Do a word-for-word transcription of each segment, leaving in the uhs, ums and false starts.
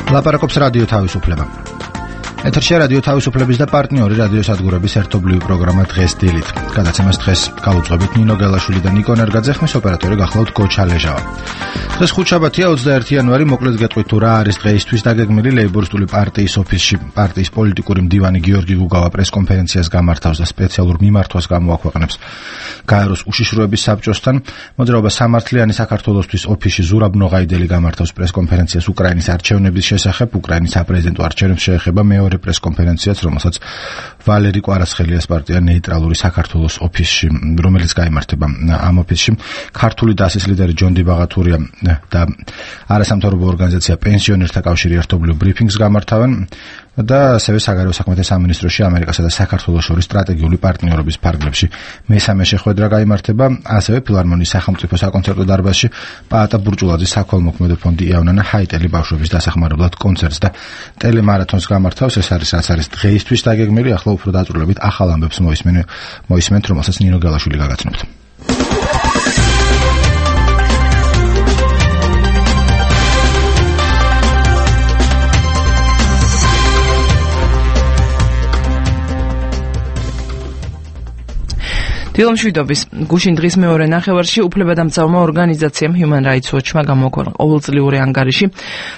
ლაპარაკობს რადიო თავისუფლება. ეთერში რადიო თავისუფლების და პარტნიორი რადიო სადგურების ერთობლივი პროგრამა დღეს დილით. გადაცემას დღეს გავუძღვებით ნინო გელაშვილი და ნიკო ნერგაძე, ხმის ოპერატორი გახლავთ გოჩა ლეჟავა. დღეს ხუთშაბათია, ოცდაერთი იანვარი, მოკლედ გეტყვით თუ რა არის დღეისთვის დაგეგმილი. ლეიბორისტული პარტიის ოფისში პარტიის პოლიტიკური მდივანი გიორგი გუგავა პრესკონფერენციას გამართავს და სპეციალურ მიმართვას გამოაქვეყნებს გაეროს უშიშროების საბჭოსთან. მოძრაობა სამართლიანი საქართველოსთვის ოფისში ზურაბ ნოღაიდელი გამართავს პრესკონფერენციას უკრაინის არჩევნების შესახებ. უკრაინის საპრეზიდენტო არჩევნებს შეეხება მეორე პრესკონფერენციაც, რომელსაც ვალერი კვარაცხელიას პარტია ნეიტრალური საქართველოს ოფისში, რომელიც გაიმართება ამ ოფისში. ქართული დასის ლიდერი ჯონდი ბაღათურია და არასამთავრობო ორგანიზაცია პენსიონერთა კავშირი ერთობლივ ბრიფინგს გამართავენ და ასევე საგარეო საქმეთა სამინისტროში ამერიკასა და საქართველოს შორის სტრატეგიული პარტნიორობის ფარგლებში მესამე შეხვედრა გაიმართება. ასევე ფილარმონიის სახელმწიფო საკონცერტო დარბაზში პაატა ბურჭულაძის საქველმოქმედო ფონდი იავნანა ჰაიტელი ბავშვების დასახმარებლად კონცერტს და ტელემარათონს გამართავს. ეს არის რაც არის დღეისთვის დაგეგმილი. ახლა უფრო დაწვრილებით ახალ ამბებს მოისმენთ, რომელსაც ნინო გელაშვილი გაგაცნობთ. დილომშვიდობის გუშინ დღის მეორე ნახევარში უფლებადამცავმა ორგანიზაციამ Human Rights Watch-მა გამოაქვეყნა ყოველწლიური ანგარიში,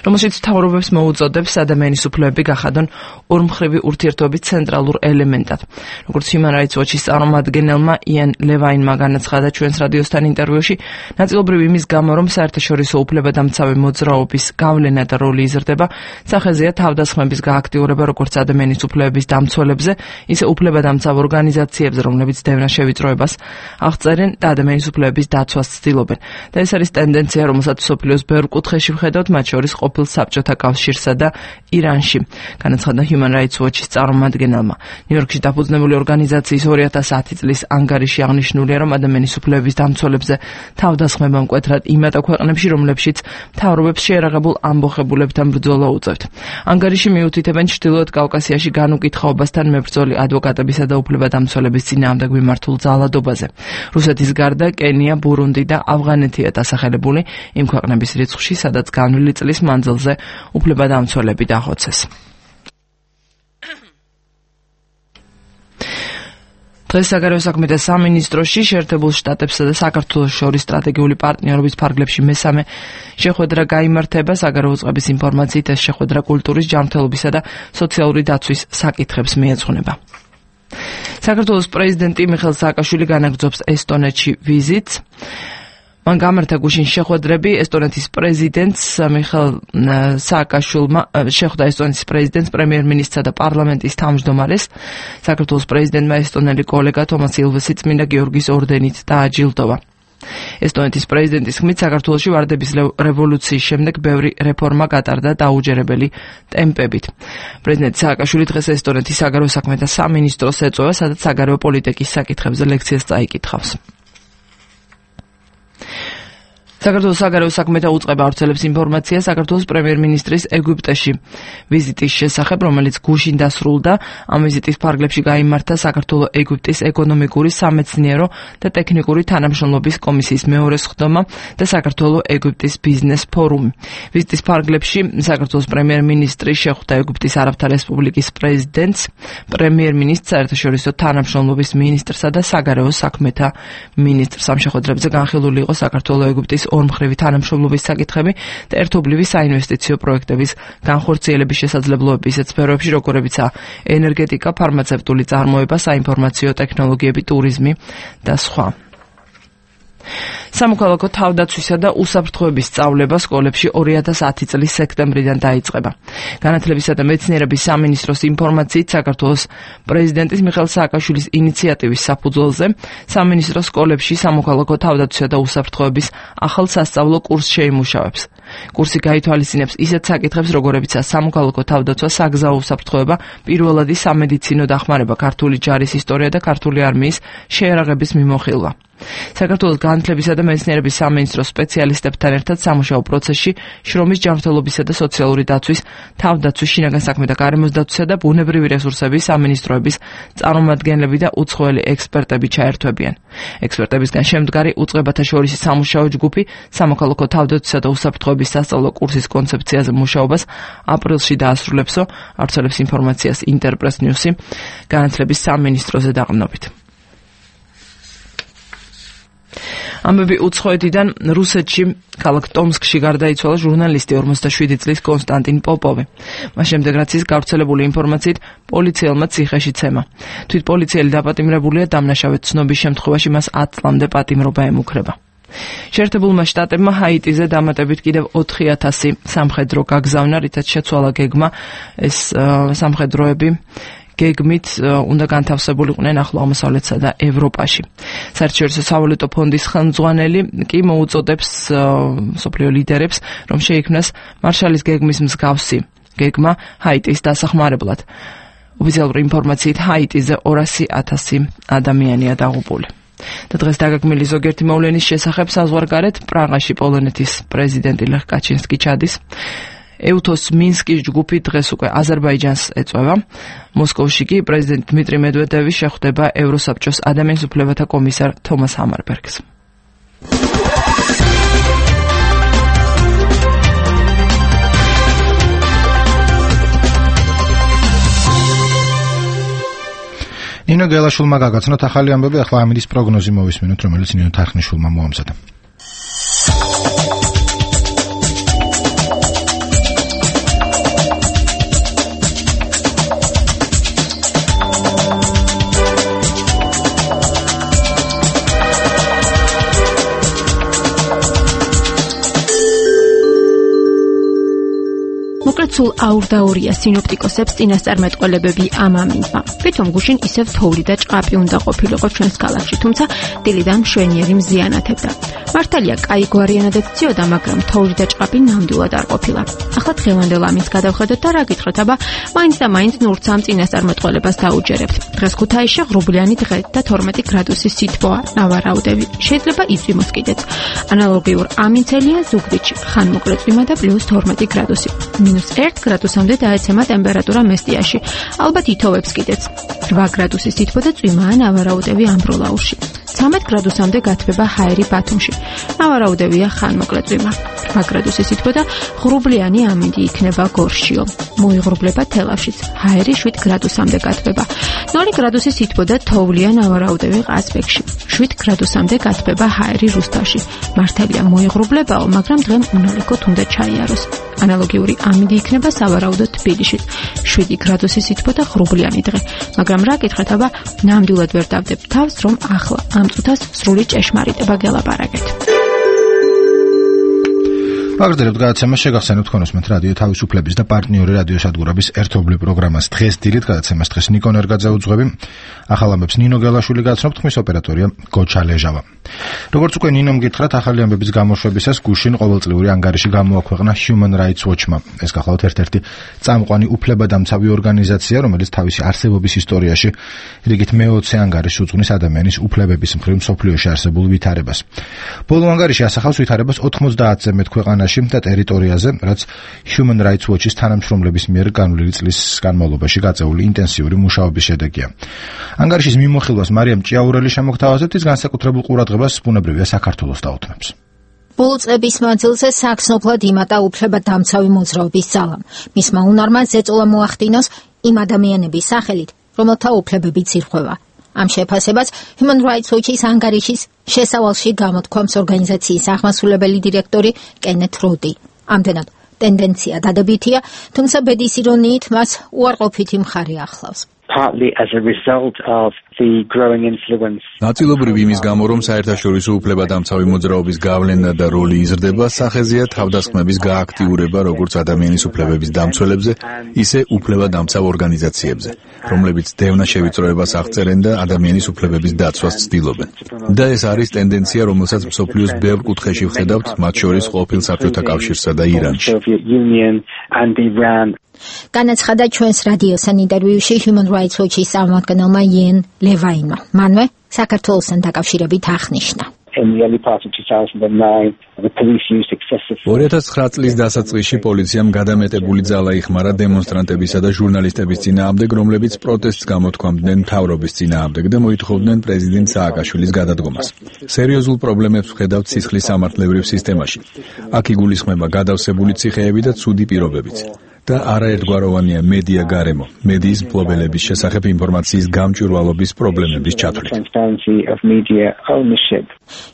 რომელშიც მთავრობებს მოუწოდებს ადამიანის უფლებები გახადონ ორმხრივი ურთიერთობის ცენტრალურ ელემენტად. როგორც Human Rights Watch-ის წარმომადგენელმა იან ლევაინმა განაცხადა ჩვენს რადიოსთან ინტერვიუში, ნაწილობრივ იმის გამო, რომ საერთაშორისო უფლებადამცავი მოძრაობის გავლენა და როლი იზრდება, სახეზეა თავდასხმების გააქტიურება როგორც ადამიანის უფლებების დამცველებზე, ისე უფლებადამცავ ორგანიზაციებზე, რომლებიც დევნა შევიწროებენ აღწერენ და ადამიანის უფლებების დაცვას ცდილობენ. და ეს არის ტენდენცია, რომელსაც მსოფლიოს ბევრ კუთხეში ვხედავთ, მათ შორის ყოფილ საბჭოთა კავშირსა და ირანში, განაცხადა Human Rights Watch-ის წარმომადგენელმა. ნიუ-იორკში დაფუძნებული ორგანიზაციის ორი ათას ათი წლის ანგარიში აღნიშნულია, რომ ადამიანის უფლებების დამცველებზე თავდასხმება მკვეთრად იმ ქვეყნებში, რომლებშიც მთავრობებს შეერაღებულ ამბოხებულებთან ბრძოლა უწევთ. ანგარიში მიუთითებენ ჩრდილოეთ კავკასიაში განუკითხაობასთან მებრძოლი ადვოკატებისა და უფლებადამცველების წინააღმდეგ მიმართულ ძალადობაზე. რუსეთის გარდა კენია, ბურუნდი და ავღანეთია დასახელებული იმ ქვეყნების რიცხვში, სადაც განვლილი წლის მანძილზე უფლებადამცველები დახოცეს. დღეს საგარეო საქმეთა სამინისტროში შეერთებულ შტატებსა და საქართველოს შორის სტრატეგიული პარტნიორობის ფარგლებში მესამე შეხვედრა გაიმართება. საგარეო წყების ინფორმაციით ეს შეხვედრა კულტურის, ჯანმრთელობისა და სოციალური დაცვის საკითხებს მიეძღვნება. საქართველოს პრეზიდენტი მიხეილ სააკაშვილი განაგრძობს ესტონეთში ვიზიტს. მან გამართა გუშინ შეხვედრები ესტონეთის პრეზიდენტს მიხეილ სააკაშვილმა შეხვდა ესტონეთის პრეზიდენტს, პრემიერ-მინისტრსა და პარლამენტის თავმჯდომარეს. საქართველოს პრეზიდენტმა ესტონელი კოლეგა თომას ილვესი წმინდა გიორგის ორდენით დააჯილდოვა. ესტონეთის პრეზიდენტის ხმით საქართველოში ვარდების რევოლუციის შემდეგ ბევრი რეფორმა გატარდა დაუჯერებელი ტემპებით. პრეზიდენტ სააკაშვილი დღეს ესტონეთის საგარეო საქმეთა სამინისტროს ეწევა, სადაც საგარეო პოლიტიკის საკითხებზე ლექციას წაიკითხავს. საქართველოს საგარეო საქმეთა უწყება ავრცელებს ინფორმაციას საქართველოს პრემიერ-მინისტრის ეგვიპტეში ვიზიტის შესახებ, რომელიც გუშინ დასრულდა. ამ ვიზიტის ფარგლებში გაიმართა საქართველო-ეგვიპტის ეკონომიკური, სამეცნიერო და ტექნიკური თანამშრომლობის კომისიის მეორე სხდომა და საქართველო-ეგვიპტის ბიზნეს ფორუმი. ვიზიტის ფარგლებში საქართველოს პრემიერ-მინისტრი შეხვდა ეგვიპტის არაბთა რესპუბლიკის პრეზიდენტს, პრემიერ-მინისტრს, საერთაშორისო თანამშრომლობის მინისტრსა და საგარეო საქმეთა მინისტრს. ამ შეხვედრებზე განხილული იყო საქართველო-ეგვიპტის ორმხრივი თანამშრომლობის საკითხები და ერთობლივი საინვესტიციო პროექტების განხორციელების შესაძლებლობები ისეთ სფეროებში, როგორებიცაა ენერგეტიკა, ფარმაცევტული წარმოება, საინფორმაციო ტექნოლოგიები, ტურიზმი და სხვა. სამოქალაქო თავდაცვისა და უსაფრთხოების სწავლება სკოლებში ორი ათას ათი წლის სექტემბრიდან დაიწყება. განათლებისა და მეცნიერების სამინისტროს ინფორმაციით, საქართველოს პრეზიდენტის მიხეილ სააკაშვილის ინიციატივის საფუძველზე სამინისტრო სკოლებში სამოქალაქო თავდაცვისა და უსაფრთხოების ახალ სასწავლო კურსს შეიმუშავებს. კურსი გაითვალისწინებს ისეთ საკითხებს, როგორებიცაა სამოქალაქო თავდაცვა, საგზაო უსაფრთხოება, პირველადი სამედიცინო დახმარება, ქართული ჯარის ისტორია და ქართული არმიის შეერაღების მიმოხილვა. საქართველოს განათლებისა და მეცნიერების სამინისტროს სპეციალისტებთან ერთად სამუშაო პროცესში შრომის ჯანმრთელობისა და სოციალური დაცვის, თავდაცვის, შინაგან საქმეთა, გარემოს დაცვისა და ბუნებრივი რესურსების სამინისტროების წარმომადგენლები და უცხოელი ექსპერტები ჩაერთვებიან. ექსპერტებისგან შემდგარი უწყებათა შორისი სამუშაო ჯგუფი სამოქალაქო თავდაცვისა და უსაფრთხოების სასწავლო კურსის კონცეფციაზე მუშაობას აპრილში დაასრულებსო, ავრცელებს ინფორმაციას ინტერპრეს ნიუსი განათლების სამინისტროზე დაყრდნობით. ამბები უცხოეთიდან რუსეთში ქალაქ ტომსკში გარდაიცვალა ჟურნალისტი ორმოცდაშვიდი წლის კონსტანტინ პოპოვი. მას შემდეგ რაც ის გავრცელებული ინფორმაციით პოლიციელმა ციხეში ცემა. თვით პოლიციელი დაპატიმრებულია, დამნაშავედ ცნობის შემთხვევაში მას ათ წლამდე პატიმრობა ემუქრება. შეერთებულმა შტატებმა ჰაიტიზე დამატებით კიდევ ოთხი ათასი სამხედრო გაგზავნა, რითაც შეცვალა გეგმა ეს სამხედროები გეგმით უნდა განთავსებულიყვნენ ახლო აღმოსავლეთსა და ევროპაში. საერთაშორისო სავალუტო ფონდის ხელმძღვანელი კი მოუწოდებს მსოფლიო ლიდერებს, რომ შეიქმნას მარშალის გეგმის მსგავსი გეგმა ჰაიტის დასახმარებლად. ოფიციალური ინფორმაციით ჰაიტიზე ორასი ათასი ადამიანია დაღუპული. და დღეს დაგეგმილი ზოგიერთი მოვლენის შესახებ საზღვარგარეთ პრაღაში პოლონეთის პრეზიდენტი ლეხ კაჩინსკი ჩადის. ეუთოს მინსკის ჯგუფი დღეს უკვე აზერბაიჯანს ეწვევა. მოსკოვში კი პრეზიდენტ დმიტრი მედვედევი შეხვდება ევროსაბჭოს ადამიანის უფლებათა კომისარ თომას ჰამარბერგს. ნინო გელაშვილმა გაგაცნოთ ახალი ამბები, ახლა ამინდის პროგნოზი მოვისმინოთ, რომელიც ნინო თარხნიშვილმა მოამზადა. სულ აურდაურია სინოპტიკოსებს წინასწარმეტყველებები ამ ამინდმა. თვითონ გუშინ ისევ თოვლი და ჭყაპი უნდა ყოფილიყო ჩვენს ქალაქში, თუმცა დილიდან მშვენიერი მზიანათებდა. მართალია, კაი გვარიანადაც ციოდა, მაგრამ თოვლი და ჭყაპი ნამდვილად არ ყოფილა. ახლა დღევანდელ ამინდს გადავხედოთ და რა გითხრათ, აბა მაინც და მაინც ნურც ამ წინასწარმეტყველებას დაუჯერებთ. დღეს ქუთაისში ღრუბლიანი დღე და თორმეტი გრადუსის სითბოა, ნავარაუდები. შეიძლება იწვიმოს კიდეც. ანალოგიურ ამინდელია ზუგდიდში, ხანმოკლე წვიმა და პლუს თორმეტი გრადუსი. მინუს ერთ გრადუსამდე დაეცემა ტემპერატურა მესტიაში. ალბათ ითოვებს კიდეც. რვა გრადუსის სითბო და წვიმაა, ნავარაუდები ამბროლაურში. ცამეტ გრადუსამდე გათბება ჰაერი ბათუმში. ნავარაუდებია ხანმოკლე წვიმა. რვა გრადუსის სითბო და ღრუბლიანი ამინდი იქნება გორშიო. მოიღრუბლება თელავშიც. ჰაერი შვიდ გრადუსამდე გათბება. ნული გრადუსის სითბო და თოვლია, ნავარაუდები ყაზბეგში. შვიდ გრადუსამდე გათბება ჰაერი რუსთავში. მართალია მოიღრუბლებაო, მაგრამ დღემ უნალიქოთ უნდა ჩაიაროს. ანალოგიური ამინდი იქნება სავარაუდოდ თბილისშიც. შვიდი გრადუსის სითბო და ღრუბლიანი დღე. მაგრამ რა გითხრათ, აბა ნამდვილად ვერ დავდებ თავს, რომ ახლა ამ წუთას სრული ჭეშმარიტება გელაპარაკეთ. ვაგრძელებთ გადაცემას, შეგახსენებთ თქვენ უსმენთ რადიო თავისუფლების და პარტნიორი რადიოსადგურების ერთობლივ პროგრამას დღეს დილით. გადაცემას დღეს ნიკო ნერგაძე უძღვები. ახალ ამბებს ნინო გელაშვილი გაცნობთ, ხმის ოპერატორია გოჩა ლეჟავა. როგორც უკვე ნინომ გითხრათ, ახალი ამბების გამოშვებისას გუშინ ყოველწლიური ანგარიში გამოაქვეყნა Human Rights Watch-მა. ეს გახლავთ ერთ-ერთი წამყვანი უფლებადამცავი ორგანიზაცია, რომელიც თავისი არსებობის ისტორიაში რიგით მეოცე ანგარიშს უძღვნის ადამიანის უფლებების მხრივ მსოფლიოში არსებულ ვითარებას. ბოლო ანგარიში ასახავს ვითარებას ოთხმოცდაათზე მეტ ქვეყანაში და ტერიტორიაზე, რაც Human Rights Watch-ის თანამშრომლების მიერ განვლილი წლის განმავლობაში გაწეული ინტენსიური მუშაობის შედეგია. ანგარიშის მიმოხილვას მარიამ ჭიაურელი შემოგთავაზებთ, ის განსაკუთრებულ ყურადღებას ბუნებრივია საქართველოს დაუთმებს. ბოლო წლების მანძილზე საქსნოფლად იმატა უფლებადამცავი მოძრაობის ძალამ. მისმა უნარმა ზეწოლა მოახდინოს იმ ადამიანების სახელით, რომელთა უფლებებიც ირღვევა. ამ შეფასებას Human Rights Watch-ის ანგარიშის შესავალში გამოთქვამს ორგანიზაციის აღმასრულებელი დირექტორი კენეთ როდი. ამდენად ტენდენცია დადებითია, თუმცა ბედის ირონიით მას უარყოფითი მხარე ახლავს. Partly as a result of the growing influence. ნაწილობრივ იმის გამო, რომ საერთაშორისო უფლებადამცავი მოძრაობის გავლენა და როლი იზრდება, სახეზეა თავდასხმების გააქტიურება როგორც ადამიანის უფლებების დამცველებზე, ისე უფლებადამცავ ორგანიზაციებზე, რომლებიც დევნა შევიწროებას აღწერენ და ადამიანის უფლებების დაცვას ცდილობენ. და ეს არის ტენდენცია, რომელსაც მსოფლიოს ბევრ კუთხეში ვხედავთ, მათ შორის ყოფილ საბჭოთა კავშირსა და ირანში. განაცხადა ჩვენს რადიოსთან ინტერვიუში Human Rights Watch-ის წარმომადგენელმა იენ ლევაინმა. მანვე საქართველოსთან დაკავშირებით აღნიშნა. ორი ათას ცხრა წლის დასაწყისში პოლიციამ გადამეტებული ძალა იხმარა დემონსტრანტებისა და ჟურნალისტების წინააღმდეგ, რომლებიც პროტესტს გამოთქვამდნენ მთავრობის წინააღმდეგ და მოითხოვდნენ პრეზიდენტ სააკაშვილის გადადგომას. სერიოზულ პრობლემებს ვხედავთ სისხლის სამართლებრივ სისტემაში. აქ იგულისხმება გადავსებული ციხეები და ცუდი პირობებიც. და არაერთგვაროვანია მედია გარემო, მედიის მფლობელების შესახებ ინფორმაციის გამჭვირვალობის პრობლემების ჩათვლით.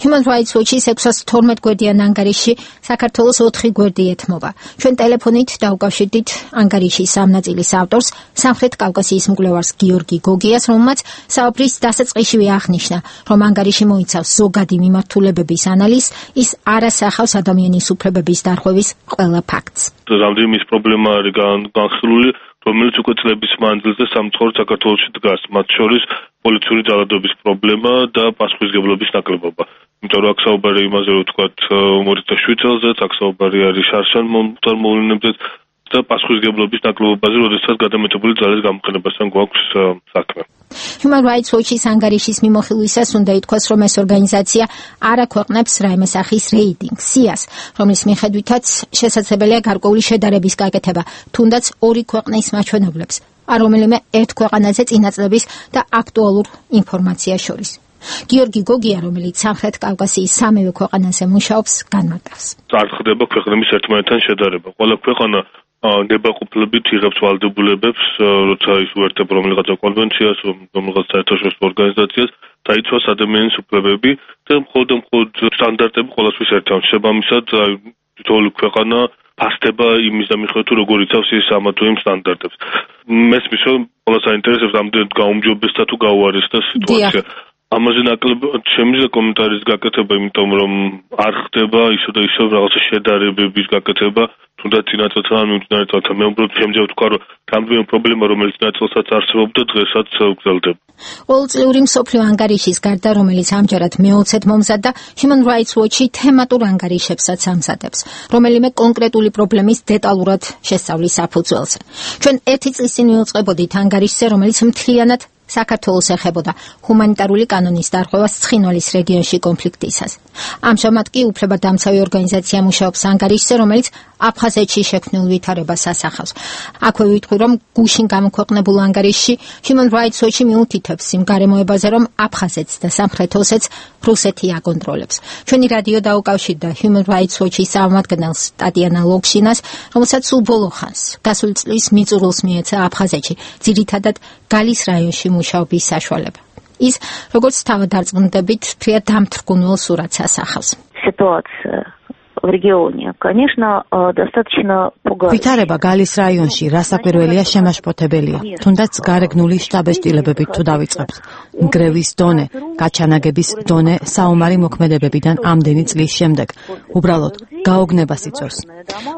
Human Rights Watch-ის ექვსას თორმეტ გვერდიან ანგარიში საქართველოს ოთხი გვერდი ეთმობა. ჩვენ ტელეფონით დავუკავშირდით ანგარიშის ამ ნაწილის ავტორს, სამხრეთ კავკასიის მკვლევარს გიორგი გოგიას, რომელმაც საუბრის დასაწყისშივე აღნიშნა, რომ ანგარიში მოიცავს ზოგადი მიმართულებების ანალიზს, ის არ ასახავს ადამიანის უფლებების დარღვევის ყველა ფაქტს. რამდენიმე ის პრობლემა არის განხილული, რომელიც უკვე წლების მანძილზე სამწუხაროდ საქართველოში დგას, მათ შორის პოლიციური ძალადობის პრობლემა და პასუხისმგებლობის ნაკლებობა. იმიტომ რომ აქ საუბარი იმაზე, რომ თქვათ უმორისტა შვიცელზე, აქ საუბარი არის შარშან მოვლენებზე და პასუხისმგებლობის ნაკლებობაზე, როდესაც გადამეტებული ძალის გამოყენებასთან გვაქვს საქმე. Human Rights Watch-ის ანგარიშის მიმოხილვისას უნდა ითქვას, რომ ეს ორგანიზაცია არ აქვეყნებს რაიმე სახის რეიტინგს, სიას, რომლის მიხედვითაც შესაძლებელია გარკვეული შედარების გაკეთება, თუნდაც ორი ქვეყნის მაჩვენებლებს, არ რომელიმე ერთ ქვეყანაზე წინაწლების და აქტუალურ ინფორმაციას შორის. გიორგი გოგია, რომელიც სამხრეთ კავკასიის სამივე ქვეყანაზე მუშაობს, განმარტავს. არ ხდება ქვეყნების ერთმანეთთან შედარება. ყველა ქვეყანა ნებაყოფლობით იღებს ვალდებულებებს, როცა ის უერთდება რომელიღაცა კონვენციას, რომელიღაცა საერთაშორისო ორგანიზაციას, დაიცვას ადამიანის უფლებები და მხოლოდ და მხოლოდ სტანდარტები ყველასთვის ერთად. შესაბამისად, თითოეული ქვეყანა ფასდება იმის დამიხილებით, როგორ იცავს ის ამა თუ იმ სტანდარტებს. მესმის, რომ ყველა საინტერესებს ამდენად გაუმჯობესდა თუ გაუარესდა სიტუაცია. ამაზე ნაკლებად შემიძლია კომენტარის გაკეთება, იმიტომ რომ არ ხდება ისო და ისო რაღაცა შედარებების გაკეთება, თუნდაც წინაწელთან მიმდინარე წელთან. მე უბრალოდ შემიძლია ვთქვა, რომ რამდენიმე პრობლემა, რომელიც წინაწელსაც არსებობდა, დღესაც გრძელდება. ყოველწლიური მსოფლიო ანგარიშის გარდა, რომელიც ამჯერად მეოცედ მომზადდა, Human Rights Watch-ი თემატურ ანგარიშებსაც ამზადებს, რომელიმე კონკრეტული პრობლემის დეტალურად შესწავლის საფუძველზე. ჩვენ ერთი წლის წინ მივუწყებოდით ანგარიშზე, რომელიც მთლიანად საქართველოს ეხებოდა ჰუმანიტარული კანონის დარღვევას ცხინვალის რეგიონში კონფლიქტისას. ამჟამად კი უფლებადამცავი ორგანიზაცია მუშაობს ანგარიშზე, რომელიც აფხაზეთში შექმნილ ვითარებას ასახავს. აქვე ვიტყვი, რომ გუშინ გამოქვეყნებულ ანგარიშში Human Rights Watch-ი მიუთითებს იმ გარემოებაზე, რომ აფხაზეთს და სამხრეთ ოსეთს რუსეთი აკონტროლებს. ჩვენი რადიო დაუკავშირდა Human Rights Watch-ის წარმომადგენელს ტატიანა ლოქშინას, რომელსაც სულ ბოლო ხანს გასული წლის მიწურულს მიეცა აფხაზეთში, ძირითადად გალის რაიონში მუშაობის საშუალება. ის, როგორც თავდარწმუნდებით, ფრიად დამთრგუნულ სურათს ასახავს. Ситуация в регионе, конечно, достаточно пугающая. ვითარება გალის რაიონში რასაკვირველია შემაშფოთებელია. თუნდაც გარეგნული შტაბეშტილებებით თუ დავიწყებთ. ნგრევის დონე, გაჩანაგების დონე საომარი მოქმედებებიდან ამდენი წლის შემდეგ. უბრალოდ გაოგნებას იწვევს.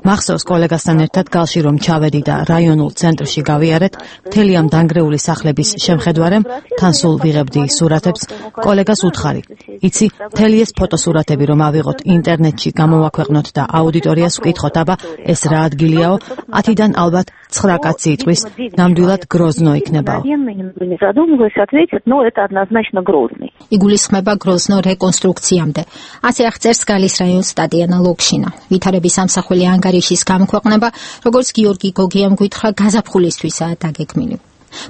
მახსოვს კოლეგასთან ერთად გალში რომ ჩავედი და რაიონულ ცენტრში გავიარეთ, მთელი ამ დანგრეული სახლების შემხედვარემ თან სულ ვიღებდი სურათებს, კოლეგას უთხარი. იცი, მთელი ეს ფოტოსურათები რომ ავიღოთ ინტერნეტში გამოვაქვეყნოთ და აუდიტორიას ვკითხოთ, აბა ეს რა ადგილიაო, ათიდან ალბათ ცხრა კაცი იტყვის, ნამდვილად გროზნო იქნებაო. იგულისხმება გროზნო რეკონსტრუქციამდე. ასე აღწერს გალის რაიონს ტატიანა ლოქშინა. ვითარების ამსახველი ანგარიშის გამოქვეყნება, როგორც გიორგი გოგიამ გითხრა, გაზაფხულისთვისაა დაგეგმილი.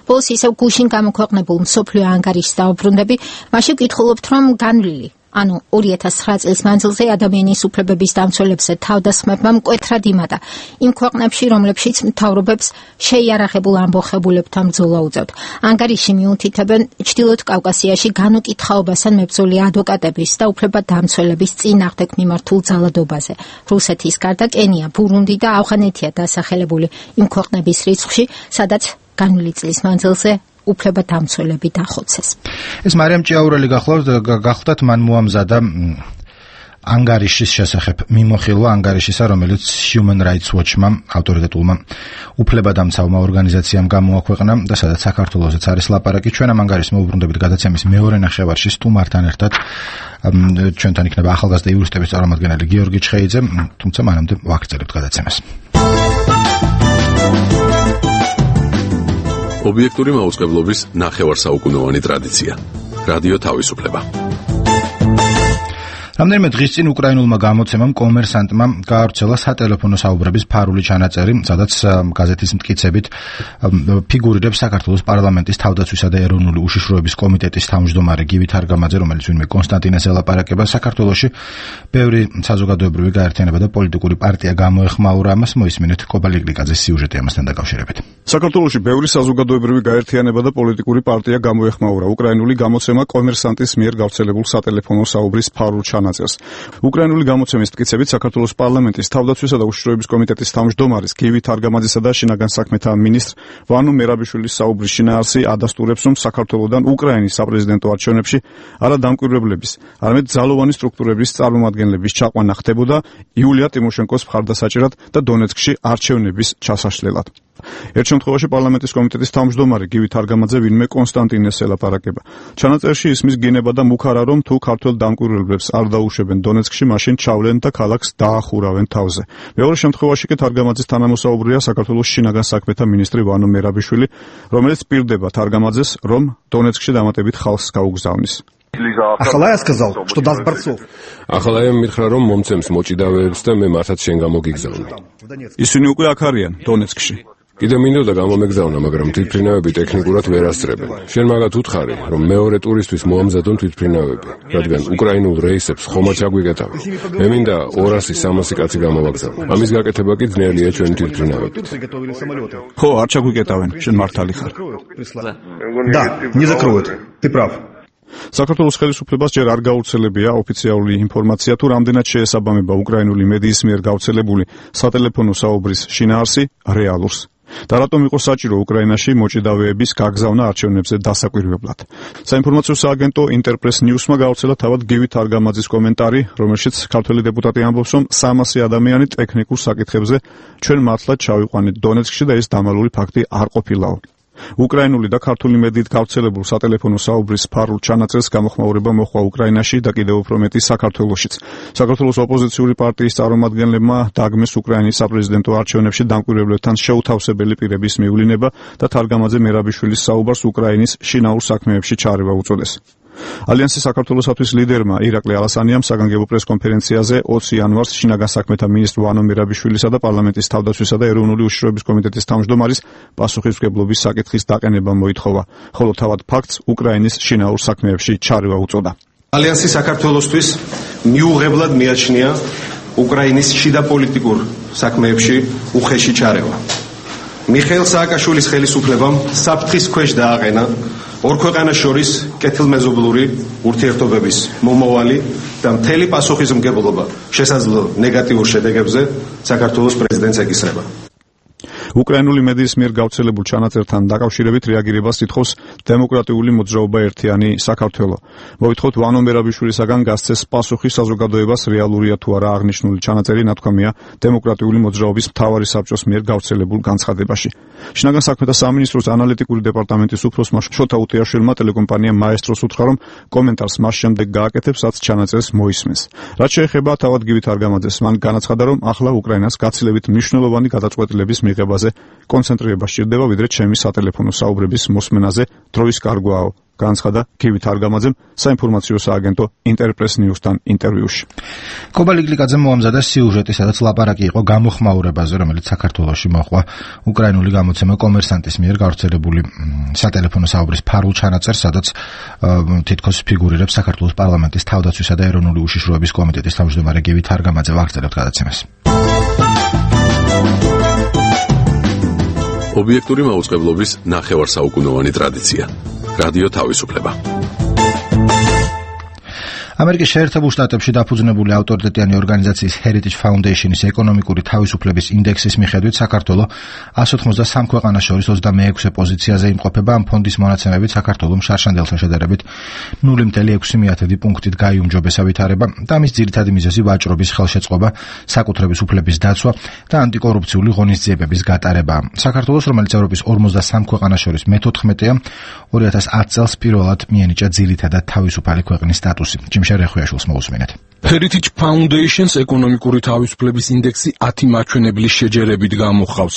ბოლოს ისევ გუშინ გამოქვეყნებულ მსოფლიო ანგარიშს დავუბრუნდები, მაშინ ვკითხულობთ, რომ განვლილი, ანუ ორი ათას ცხრა წლის მანძილზე ადამიანის უფლებების დამცველებზე თავდასხმებმა მკვეთრად იმატა იმ ქვეყნებში, რომლებშიც მთავრობებს შეიარაღებულ ამბოხებულებთან ბრძოლა უწევთ. ანგარიში მიუთითებენ ჩრდილოეთ კავკასიაში განუკითხაობასთან მებრძოლი ადვოკატების და უფლებადამცველების წინააღმდეგ მიმართულ ძალადობაზე. რუსეთის გარდა კენია, ბურუნდი და ავღანეთია დასახელებული იმ ქვეყნების რიცხვში, სადაც განვლილი წლის მანძილზე უფლებადამცველები დახოცეს. ეს მარიამ ჭიაურელი გახლავთ, მან მოამზადა ანგარიშის შესახებ მიმოხილვა ანგარიშისა, რომელიც Human Rights Watch-მა, ავტორიტეტულმა უფლებადამცავმა ორგანიზაციამ გამოაქვეყნა და სადაც საქართველოსაც არის ლაპარაკი. ჩვენ ამ ანგარიშს მოვუბრუნდებით გადაცემის მეორე ნახევარში სტუმართან ერთად. ჩვენთან იქნება ახალგაზრდა იურისტების წარმომადგენელი გიორგი ჩხეიძე, თუმცა მანამდე ვაგრძელებთ გადაცემას. ობიექტური მაუწყებლობის ნახევარსაუკუნოვანი ტრადიცია. რადიო თავისუფლება. რამდენიმე დღის წინ უკრაინულმა გამოცემამ კომერსანტმა გაავრცელა სატელეფონო საუბრების ფარული ჩანაწერი, სადაც გაზეთის მტკიცებით ფიგურირებს საქართველოს პარლამენტის თავდაცვისა და ეროვნული უშიშროების კომიტეტის თავმჯდომარე გივი თარგამაძე, რომელიც ვინმე კონსტანტინეს ელაპარაკება. საქართველოში ბევრი საზოგადოებრივი გაერთიანება და პოლიტიკური პარტია გამოეხმაურა ამას. მოისმინეთ კობა ლიკლიკაძის სიუჟეტი ამასთან დაკავშირებით. საქართველოში ბევრი საზოგადოებრივი გაერთიანება და პოლიტიკური პარტია გამოეხმაურა უკრაინული გამოცემა კომერსანტის მიერ გავრცელებულ სატელეფონო საუბრის ფარულ ჩანაწერს. უკრაინული გამოცემის მტკიცებით საქართველოს პარლამენტის თავდაცვისა და უშიშროების კომიტეტის თავმჯდომარის გივი თარგამაძისა და შინაგან საქმეთა მინისტრ ვანო მერაბიშვილის საუბრის შინაარსი ადასტურებს, რომ საქართველოდან უკრაინის საპრეზიდენტო არჩევნებში არა დამკვირვებლების, არამედ ძალოვანი სტრუქტურების წარმომადგენლების ჩაყვანა ხდებოდა იულია ტიმოშენკოს მხარდასაჭერად და დონეცკში არჩევნების ჩასაშლელად. ერთ შემთხვევაში პარლამენტის კომიტეტის თავმჯდომარე გივი თარგამაძე ვინმე კონსტანტინეს ელაპარაკება. ჩანაწერში ისმის გინება და მუქარა, რომ თუ ქართველ დამკვირვებლებს არ დაუშვებენ დონეცკში, მაშინ ჩავლენ და ქალაქს დაახურავენ თავზე. მეორე შემთხვევაში კი თარგამაძის თანამოსაუბრია საქართველოს შინაგან საქმეთა მინისტრი ვანო მერაბიშვილი, რომელიც პირდება თარგამაძეს, რომ დონეცკში დამატებით ხალხს გაუგზავნის. ახლა сказал, что даст борцов. ახლა եմ მითხრა, რომ მომცემს მოჭიდავეებს და მე მართლაც შენ გამოგიგზავნე. ისინი უკვე აქ არიან დონეცკში. კიდე მინდოდა გამომეგზავნა, მაგრამ თვითმფრინავები ტექნიკურად ვერ ასწრებენ. შენ მაგათ უთხარი, რომ მეორე ტურისთვის მოამზადონ თვითმფრინავები, რადგან უკრაინულ რეისებს ხომ არ ჩაგვიკეტავენ. მე მინდა ორასი სამასი კაცი გამოვაგზავნო. ამის გაკეთება კი ძნელია ჩვენი თვითმფრინავებით. ხო, არ ჩაგვიკეტავენ, შენ მართალი ხარ. Да, не закроют. Ты прав. საქართველოს ხელისუფლებას ჯერ არ გავრცელებია ოფიციალური ინფორმაცია, თუ რამდენად შეესაბამება უკრაინული მედიის მიერ გავრცელებული სატელეფონო საუბრის შინაარსი რეალურს. და რატომ იყო საჭირო უკრაინაში მოჭიდავეების გაგზავნა არჩევნებზე დასაკვირვებლად. საინფორმაციო სააგენტო ინტერპრეს ნიუსმა გავრცელა თავად გივი თარგამაძის კომენტარი, რომელშიც ქართველი დეპუტატი ამბობს, რომ სამასი ადამიანი ტექნიკურ საკითხებზე ჩვენ მართლაც ჩავიყვანით დონეცკში და ეს დამალული ფაქტი არ ყოფილაო. უკრაინული და ქართული მედიით გავრცელებულ სატელეფონო საუბრის ფარულ ჩანაწერს გამოხმაურება მოხდა უკრაინაში და კიდევ უფრო მეტი საქართველოშიც. საქართველოს ოპოზიციური პარტიის წარმომადგენლებმა დაგმეს უკრაინის საპრეზიდენტო არჩევნებში დამკვირვებლებთან შეუთავსებელი პირების მიულინება და თარგამაძე მერაბიშვილის საუბარს უკრაინის შინაურ საქმეებში ჩარევა უწოდეს. ალიანსის საქართველოსთვის ლიდერმა ირაკლი ალასანიამ საგანგებო პრესკონფერენციაზე ოცი იანვარს შინაგან საქმეთა მინისტრ ვანო მერაბიშვილისა და პარლამენტის თავდაცვისა და ეროვნული უშიშროების კომიტეტის თავმჯდომარის პასუხისმგებლობის საკითხის დაყენება მოითხოვა, ხოლო თავად ფაქტს უკრაინის შინაურ საქმეებში ჩარევა უწოდა. ალიანსი საქართველოსთვის მიუღებლად მიაჩნია უკრაინის შიდა პოლიტიკურ საქმეებში უხეში ჩარევა. მიხეილ სააკაშვილის ხელისუფლებამ საფრთხის ქვეშ დააყენა ორ ქვეყანას შორის კეთილმეზობლური ურთიერთობების მომავალი და მთელი პასუხისმგებლობა შესაძლო ნეგატიურ შედეგებზე საქართველოს პრეზიდენტს ეკისრება. უკრაინული მედიის მიერ გავრცელებულ ჩანაწერთან დაკავშირებით რეაგირებას ითხოვს დემოკრატიული მოძრაობა ერთიანი საქართველო. მოითხოვთ ვანო მერაბიშვილისაგან გასცეს პასუხი საზოგადოებას რეალურია თუ არა აღნიშნული ჩანაწერი, ნათქვამია დემოკრატიული მოძრაობის მთავარი საბჭოს მიერ გავრცელებულ განცხადებაში. შინაგან საქმეთა სამინისტროს ანალიტიკური დეპარტამენტის უფროსმა შოთა უტიაშვილმა ტელეკომპანია მაესტროს უთხრა, რომ კომენტარს მას შემდეგ გააკეთებს, რაც ჩანაწერს მოისმენს. რაც შეეხება თავად გივი თარგამაძეს, მან განაცხადა, რომ ახლა უკრაინას გაცილებით მნიშვნელოვანი გადაწყვეტილების მიღება კონცენტრირება სჭირდება, ვიდრე ჩემი სატელეფონო საუბრების მოსმენაზე დროის კარგვაო. განაცხადა გივი თარგამაძემ საინფორმაციო სააგენტო ინტერპრეს ნიუსთან ინტერვიუში. კობა ლიკლიკაძემ მოამზადა სიუჟეტი, სადაც ლაპარაკი იყო გამოხმაურებაზე, რომელიც საქართველოში მოხდა უკრაინული გამოცემა კომერსანტის მიერ გავრცელებული სატელეფონო საუბრის ფარულ ჩანაწერს, სადაც თითქოს ფიგურირებს საქართველოს პარლამენტის თავდაცვისა და ეროვნული უშიშროების კომიტეტის თავმჯდომარე გივი თარგამაძე. ვაგრძელებთ გადაცემას. ობიექტური მაუწყებლობის ნახევარსაუკუნოვანი ტრადიცია. რადიო თავისუფლება. ამერიკის შეერთებულ შტატებში დაფუძნებული ავტორიტეტიანი ორგანიზაციის Heritage Foundation-ის ეკონომიკური თავისუფლების ინდექსის მიხედვით საქართველო εκατს ოცდასამ ქვეყანას შორის ოცდამეექვსე პოზიციაზე იმყოფება. ამ ფონდის მონაცემებით საქართველომ შარშანდელთან შედარებით ნული კoma ექვსი პუნქტით გაიუმჯობესა ვითარება და ამის ძირითადი მიზეზი ვაჭრობის ხელშეწყობა, საკუთრების უფლების დაცვა და ანტიკორუფციული ღონისძიებების გატარება. საქართველოს, რომელიც ევროპის ორმოცდასამ ქვეყანას შორის მეთოთხმეტეა, ორი ათას ათი წელს პირველად მიენიჭა ძირითადად თავისუფალი ქვეყნის სტატუსი. რეხუიაშვილს მოусმინეთ. Heritage Foundation-ს ეკონომიკური თავისუფლების ინდექსი ათი მაჩვენებლის შეჯერებით გამოჰყავს.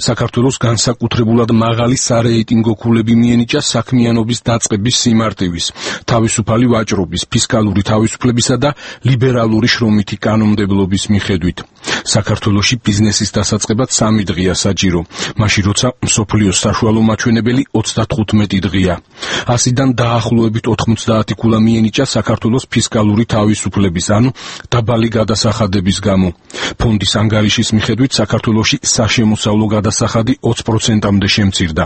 საქართველოს განსაკუთრებულად მაღალი სარეიტინგო ქულები მიენიჭა საქმიანობის დაწყების სიმარტივის, თავისუფალი ვაჭრობის, ფისკალური თავისუფლებისა და ლიბერალური შრომითი კანონმდებლობის მიხედვით. საქართველოში ბიზნესის დასაწყებად სამი დღეა საჭირო, მაშინ როცა მსოფლიოს საშუალო მაჩვენებელი ოცდათხუთმეტი დღეა. ასიდან დაახლოებით ოთხმოცდაათი ქულა მიენიჭა საქართველოს ფისკალური თავისუფლების, ანუ დაბალი გადასახადების გამო. ფონდის ანგარიშის მიხედვით საქართველოში საშემოსავლო გადასახადი ოცი პროცენტამდე შემცირდა.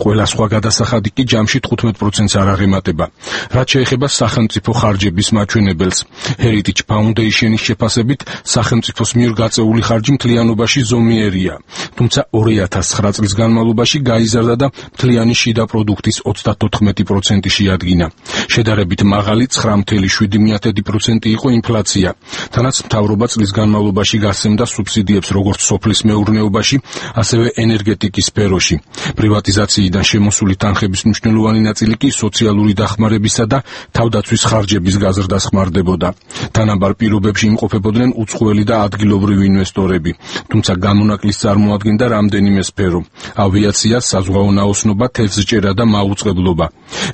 ყველა სხვა გადასახადი კი ჯამში თხუთმეტ პროცენტს არ აღემატება. რაც შეეხება სახელმწიფო ხარჯების მაჩვენებელს, Heritage Foundation-ის შეფასებით, სახელმწიფოს მიერ გაწეული ხარჯი მთლიანობაში ზომიერია, თუმცა ორი ათას ცხრა წლის განმავლობაში გაიზარდა და მთლიანი შიდა პროდუქტის ოცდათოთხმეტი პროცენტი შეადგინა. შედარებით მაღალი ცხრა ათეული პროცენტი იყო ინფლაცია. თანაც მთავრობა წლის განმავლობაში გასცემდა სუბსიდიებს როგორც სოფლის მეურნეობაში, ასევე ენერგეტიკის სფეროში. პრივატიზაციიდან შემოსული თანხების მნიშვნელოვანი ნაწილი კი სოციალური დახმარებისა და თავდაცვის ხარჯების გაზრდას ხმარდებოდა. თანაბარ პირობებში იმყოფებოდნენ უცხოელი და ადგილობრივი ინვესტორები, თუმცა გამონაკლის წარმოადგენდა რამდენიმე სფერო: ავიაცია, საზღვაო ნაოსნობა, თევზჭერა და მაუწყებლობა.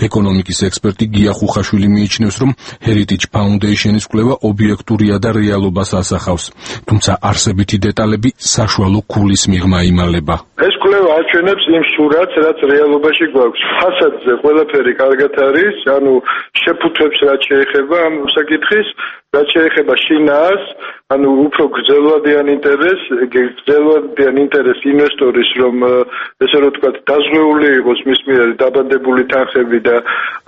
ეკონომიკის ექსპერტი გია ხუხაშვილი მიიჩნევს, რომ Heritage Foundation-ის კვლევა ობიექტურია და რეალობას ასახავს, თუმცა არსებითი დეტალები საშუალო ქულის მიღმა იმალება. ეს კვლევა აჩვენებს იმ სურათს, რაც რეალობაში გვაქვს. ფასადზე ყველაფერი კარგად არის, ანუ შეფუთვებს რაც შეეხება ამ საკითხის, რაც შეეხება შინაარს, ანუ უფრო გრძელვადიან ინტერესს, გრძელვადიან ინტერესს ინვესტორის, რომ ესე რომ ვთქვათ, დაზღვეული იყოს მის მიერ დაბადებული თანხები და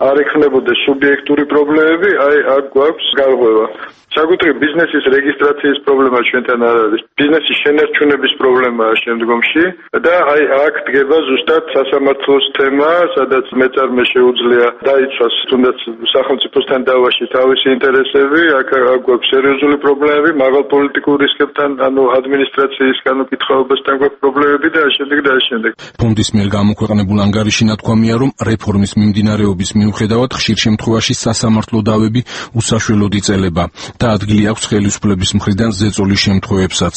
არ ექნებოდეს სუბიექტური პრობლემები, აი აქ გვაქვს გარღვევა. საკუთრივ ბიზნესის რეგისტრაციის პრობლემა ჩვენთან არ არის. ბიზნესის შენარჩუნების პრობლემაა შემდგომში და აი აქ დგება ზუსტად სასამართლოს თემა, სადაც მეწარმე შეუძლია დაიცვას თუნდაც სახელმწიფოსთან დავაში თავისი ინტერესები, აქ გვაქვს სერიოზული პრობლემები, მაღალ პოლიტიკურ რისკებთან, ანუ ადმინისტრაციის განუკითხაობასთან გვაქვს პრობლემები და შემდეგ და შემდეგ. ფონდის მიერ გამოქვეყნებულ ანგარიში ნათქვამია, რომ რეფორმის მიმდინარეობის მიუხედავად ხშირ შემთხვევაში სასამართლო დავები უსაშველოდ იწელება და ადგილი აქვს ხელისუფლების მხრიდან ზეწოლის შემთხვევებსაც.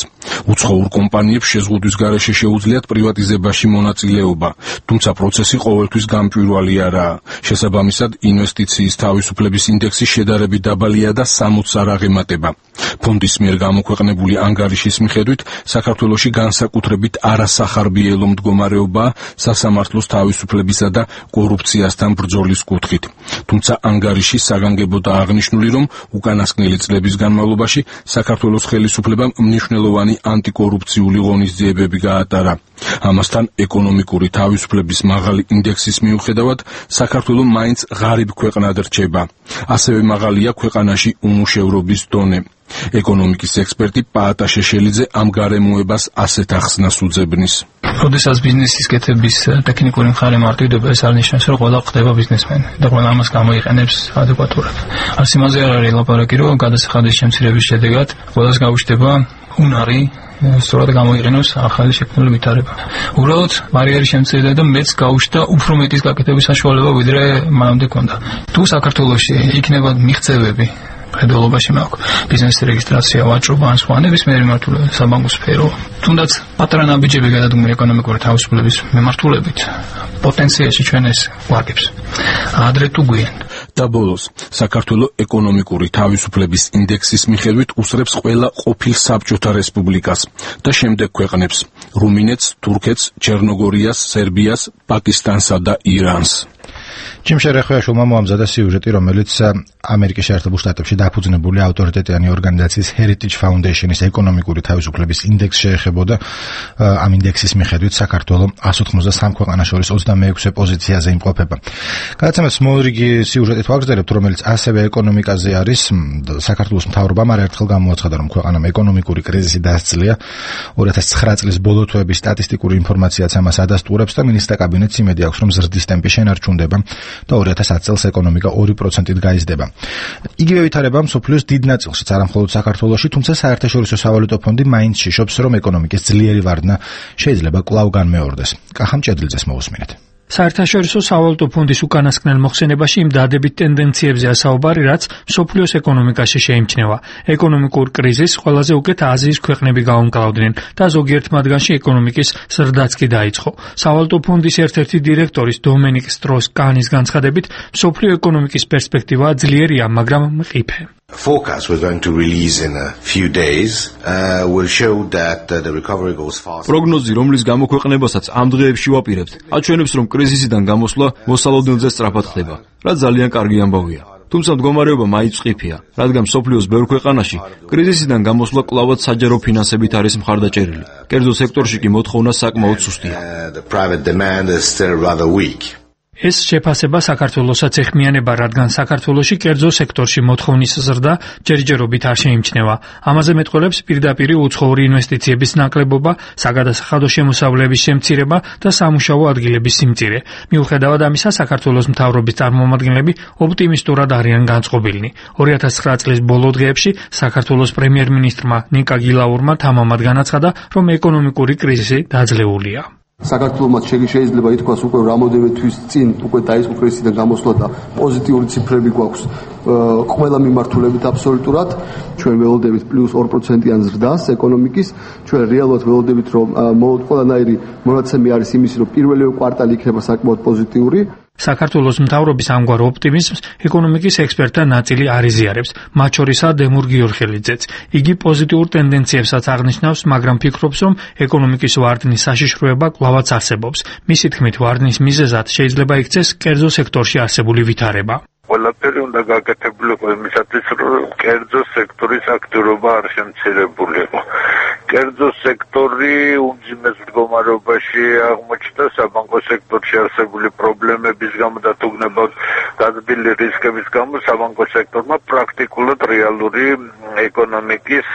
უცხოურ კომპანიებს შეზღუდვის გარეშე შეუძლიათ პრივატიზებაში მონაწილეობა, თუმცა პროცესი ყოველთვის გამჭვირვალე არაა. შესაბამისად, ინვესტიციის თავისუფლების ინდექსი შედარებით დაბალია და სამოცს არ აღემატება. ფონდის მიერ გამოქვეყნებული ანგარიშის მიხედვით, საქართველოში განსაკუთრებით არასახარბიელო მდგომარეობაა სასამართლოს თავისუფლებისა და კორუფციასთან ბრძოლის კუთხით. თუმცა ანგარიში საგანგებოდ აღნიშნული, რომ უკანასკნელი წლების განმავლობაში საქართველოს ხელისუფლებამ მნიშვნელოვანი ანტიკორუფციული ღონისძიებები გაატარა. ამასთან ეკონომიკური თავისუფლების მაღალი ინდექსის მიუხედავად, საქართველო მაინც ღარიბ ქვეყნად რჩება. ასევე მაღალია ქვეყანაში უმუშევრობის დონე. ეკონომიკის ექსპერტი პაატა შეშელიძე ამ გარემოებას ასეთ ახსნას უძებნის. როდესაც ბიზნესის კეთების ტექნიკური მხარე მარტივდება, ეს არ ნიშნავს, რომ ყველა ხდება ბიზნესმენი და ყველა ამას გამოიყენებს ადეკვატურად. არც იმაზე არ არის ლაპარაკი, რომ გადასახადის შემცირების შედეგად ყველას გაუჩნდება უნარი სწორად გამოიყენოს ახალი შექმნილი ვითარება. უბრალოდ ბარიერი შემცირდა და მეც გაუჩნდა უფრო მეტის გაკეთების საშუალება, ვიდრე მანამდე ჰქონდა. თუ საქართველოში იქნება მიღწევები ხედველობაში მაქვს ბიზნესის რეგისტრაცია, ვაჭრობა ან სხვა ნებისმიერი მიმართულებით, საბანკო სფერო, თუნდაც პატარა ნაბიჯები გადადგმული ეკონომიკური თავისუფლების მიმართულებით, პოტენციაში ჩვენ ეს ვარგებს. ადრე თუ გვიან. და ბოლოს, საქართველო ეკონომიკური თავისუფლების ინდექსის მიხედვით უსწრებს ყველა ყოფილ საბჭოთა რესპუბლიკას და შემდეგ ქვეყნებს: რუმინეთს, თურქეთს, ჩერნოგორიას, სერბიას, პაკისტანსა და ირანს. ჯიმ შერეხვეაშვილმა მოამზადა სიუჟეტი, რომელიც ამერიკის შეერთებულ შტატებში დაფუძნებული ავტორიტეტიანი ორგანიზაციის Heritage Foundation-ის ეკონომიკური თავისუფლების ინდექსს შეეხებოდა. ამ ინდექსის მიხედვით საქართველო εκατს ოცდაოთხ ქვეყანას შორის ოცდამეექვსე პოზიციაზე იმყოფება. გადაცემას მოლრიგი სიუჟეტით ვაგრძელებთ, რომელიც ასევე ეკონომიკაზე არის. საქართველოს მთავრობამ არაერთხელ გამოაცხადა, რომ ქვეყანამ ეკონომიკური კრიზისი დასძლია. ორი ათას ცხრა წლის ბოლო თვეების სტატისტიკური ინფორმაციაც ამას ადასტურებს და მინისტრთა კაბინეტს იმედი აქვს, რომ ზრდის ტემპი შენარჩუნდება და ორი ათას ათი წელს ეკონომიკა ორი პროცენტით გაიზრდება. იგივე ვითარება მსოფლიოს დიდ ნაწილშიც, არა მხოლოდ საქართველოში, თუმცა საერთაშორისო სავალუტო ფონდი მაინც შიშობს, რომ ეკონომიკის ძლიერი ვარდნა შეიძლება კვლავ განმეორდეს. კახამ ჭედლიძეს მოусმინეთ. საერთაშორისო სავალუტო ფონდის უკანასკნელ მოხსენებაში იმ დადებით ტენდენციებზეა საუბარი, რაც მსოფლიოს ეკონომიკაში შეიმჩნევა. ეკონომიკურ კრიზისს ყველაზე უკეთ აზიის ქვეყნები გაუმკლავდნენ და ზოგიერთ მათგანში ეკონომიკის ზრდაც კი დაიწყო. სავალუტო ფონდის ერთ-ერთი დირექტორის დომენიკ სტროს-კანის განცხადებით, მსოფლიო ეკონომიკის პერსპექტივა ძლიერია, მაგრამ მყიფე. Forecast we're going to release in a few days uh, will show that uh, the recovery goes fast. პროგნოზი, რომლის გამოქვეყნებასაც ამ დღეებში ვაპირებთ, აჩვენებს, რომ კრიზისიდან გამოსვლა მოსალოდნელზე სწრაფად ხდება, რაც ძალიან კარგი ამბავია. თუმცა მდგომარეობა მაინც მყიფეა, რადგან მსოფლიოს ბევრ ქვეყანაში კრიზისიდან გამოსვლა კვლავაც საჯარო ფინანსებით არის მხარდაჭერილი. კერძო სექტორში კი მოთხოვნა საკმაოდ სუსტია. The private demand is still rather weak. ეს შეფასება საქართველოსაც ეხმიანება, რადგან საქართველოში კერძო სექტორში მოთხოვნის ზრდა ჯერჯერობით არ შეიმჩნევა. ამაზე მეტყველებს პირდაპირ უცხოური ინვესტიციების ნაკლებობა, საგადასახადო შემოსავლების შემცირება და სამუშაო ადგილების სიმწირე. მიუხედავად ამისა, საქართველოს მთავრობის წარმომადგენლები ოპტიმისტურად არიან განწყობილნი. ორი ათას ცხრა წლის ბოლო დღეებში საქართველოს პრემიერ-მინისტრმა ნიკა გილაურმა თამამად განაცხადა, რომ ეკონომიკური კრიზისი დაძლეულია. საქართველოს შეიძლება ითქვას უკვე რამოდენიმე თვის წინ უკვე დაიწყო კრიზისიდან გამოსვლა და პოზიტიური ციფრები გვაქვს ყველა მიმართულებით აბსოლუტურად. ჩვენ ველოდებით პლუს ორი პროცენტიან ზრდას ეკონომიკის. ჩვენ რეალურად ველოდებით, რომ ყველანაირი მონაცემი არის იმის, რომ პირველი კვარტალი იქნება საკმაოდ პოზიტიური. საქართველოს მთავრობის ამგვარ ოპტიმიზმს ეკონომიკის ექსპერტთა ნაწილი არ იზიარებს, მათ შორისაა დემურ გიორხელიძეც. იგი პოზიტიურ ტენდენციებსაც აღნიშნავს, მაგრამ ფიქრობს, რომ ეკონომიკის ვარდნის საშიშროება კვლავაც არსებობს. მისი თქმით, ვარდნის მიზეზად შეიძლება იქცეს კერძო სექტორში არსებული ვითარება. ყველაფერი უნდა გაკეთებულიყო იმისათვის, რომ კერძო სექტორის აქტიურობა არ შემცირებულიყო. კერძო სექტორი უმძიმეს მდგომარეობაში აღმოჩნდა საბანკო სექტორში არსებული პრობლემების გამო და თუ გნებავთ გაზრდილი რისკების გამო საბანკო სექტორმა პრაქტიკულად რეალური ეკონომიკის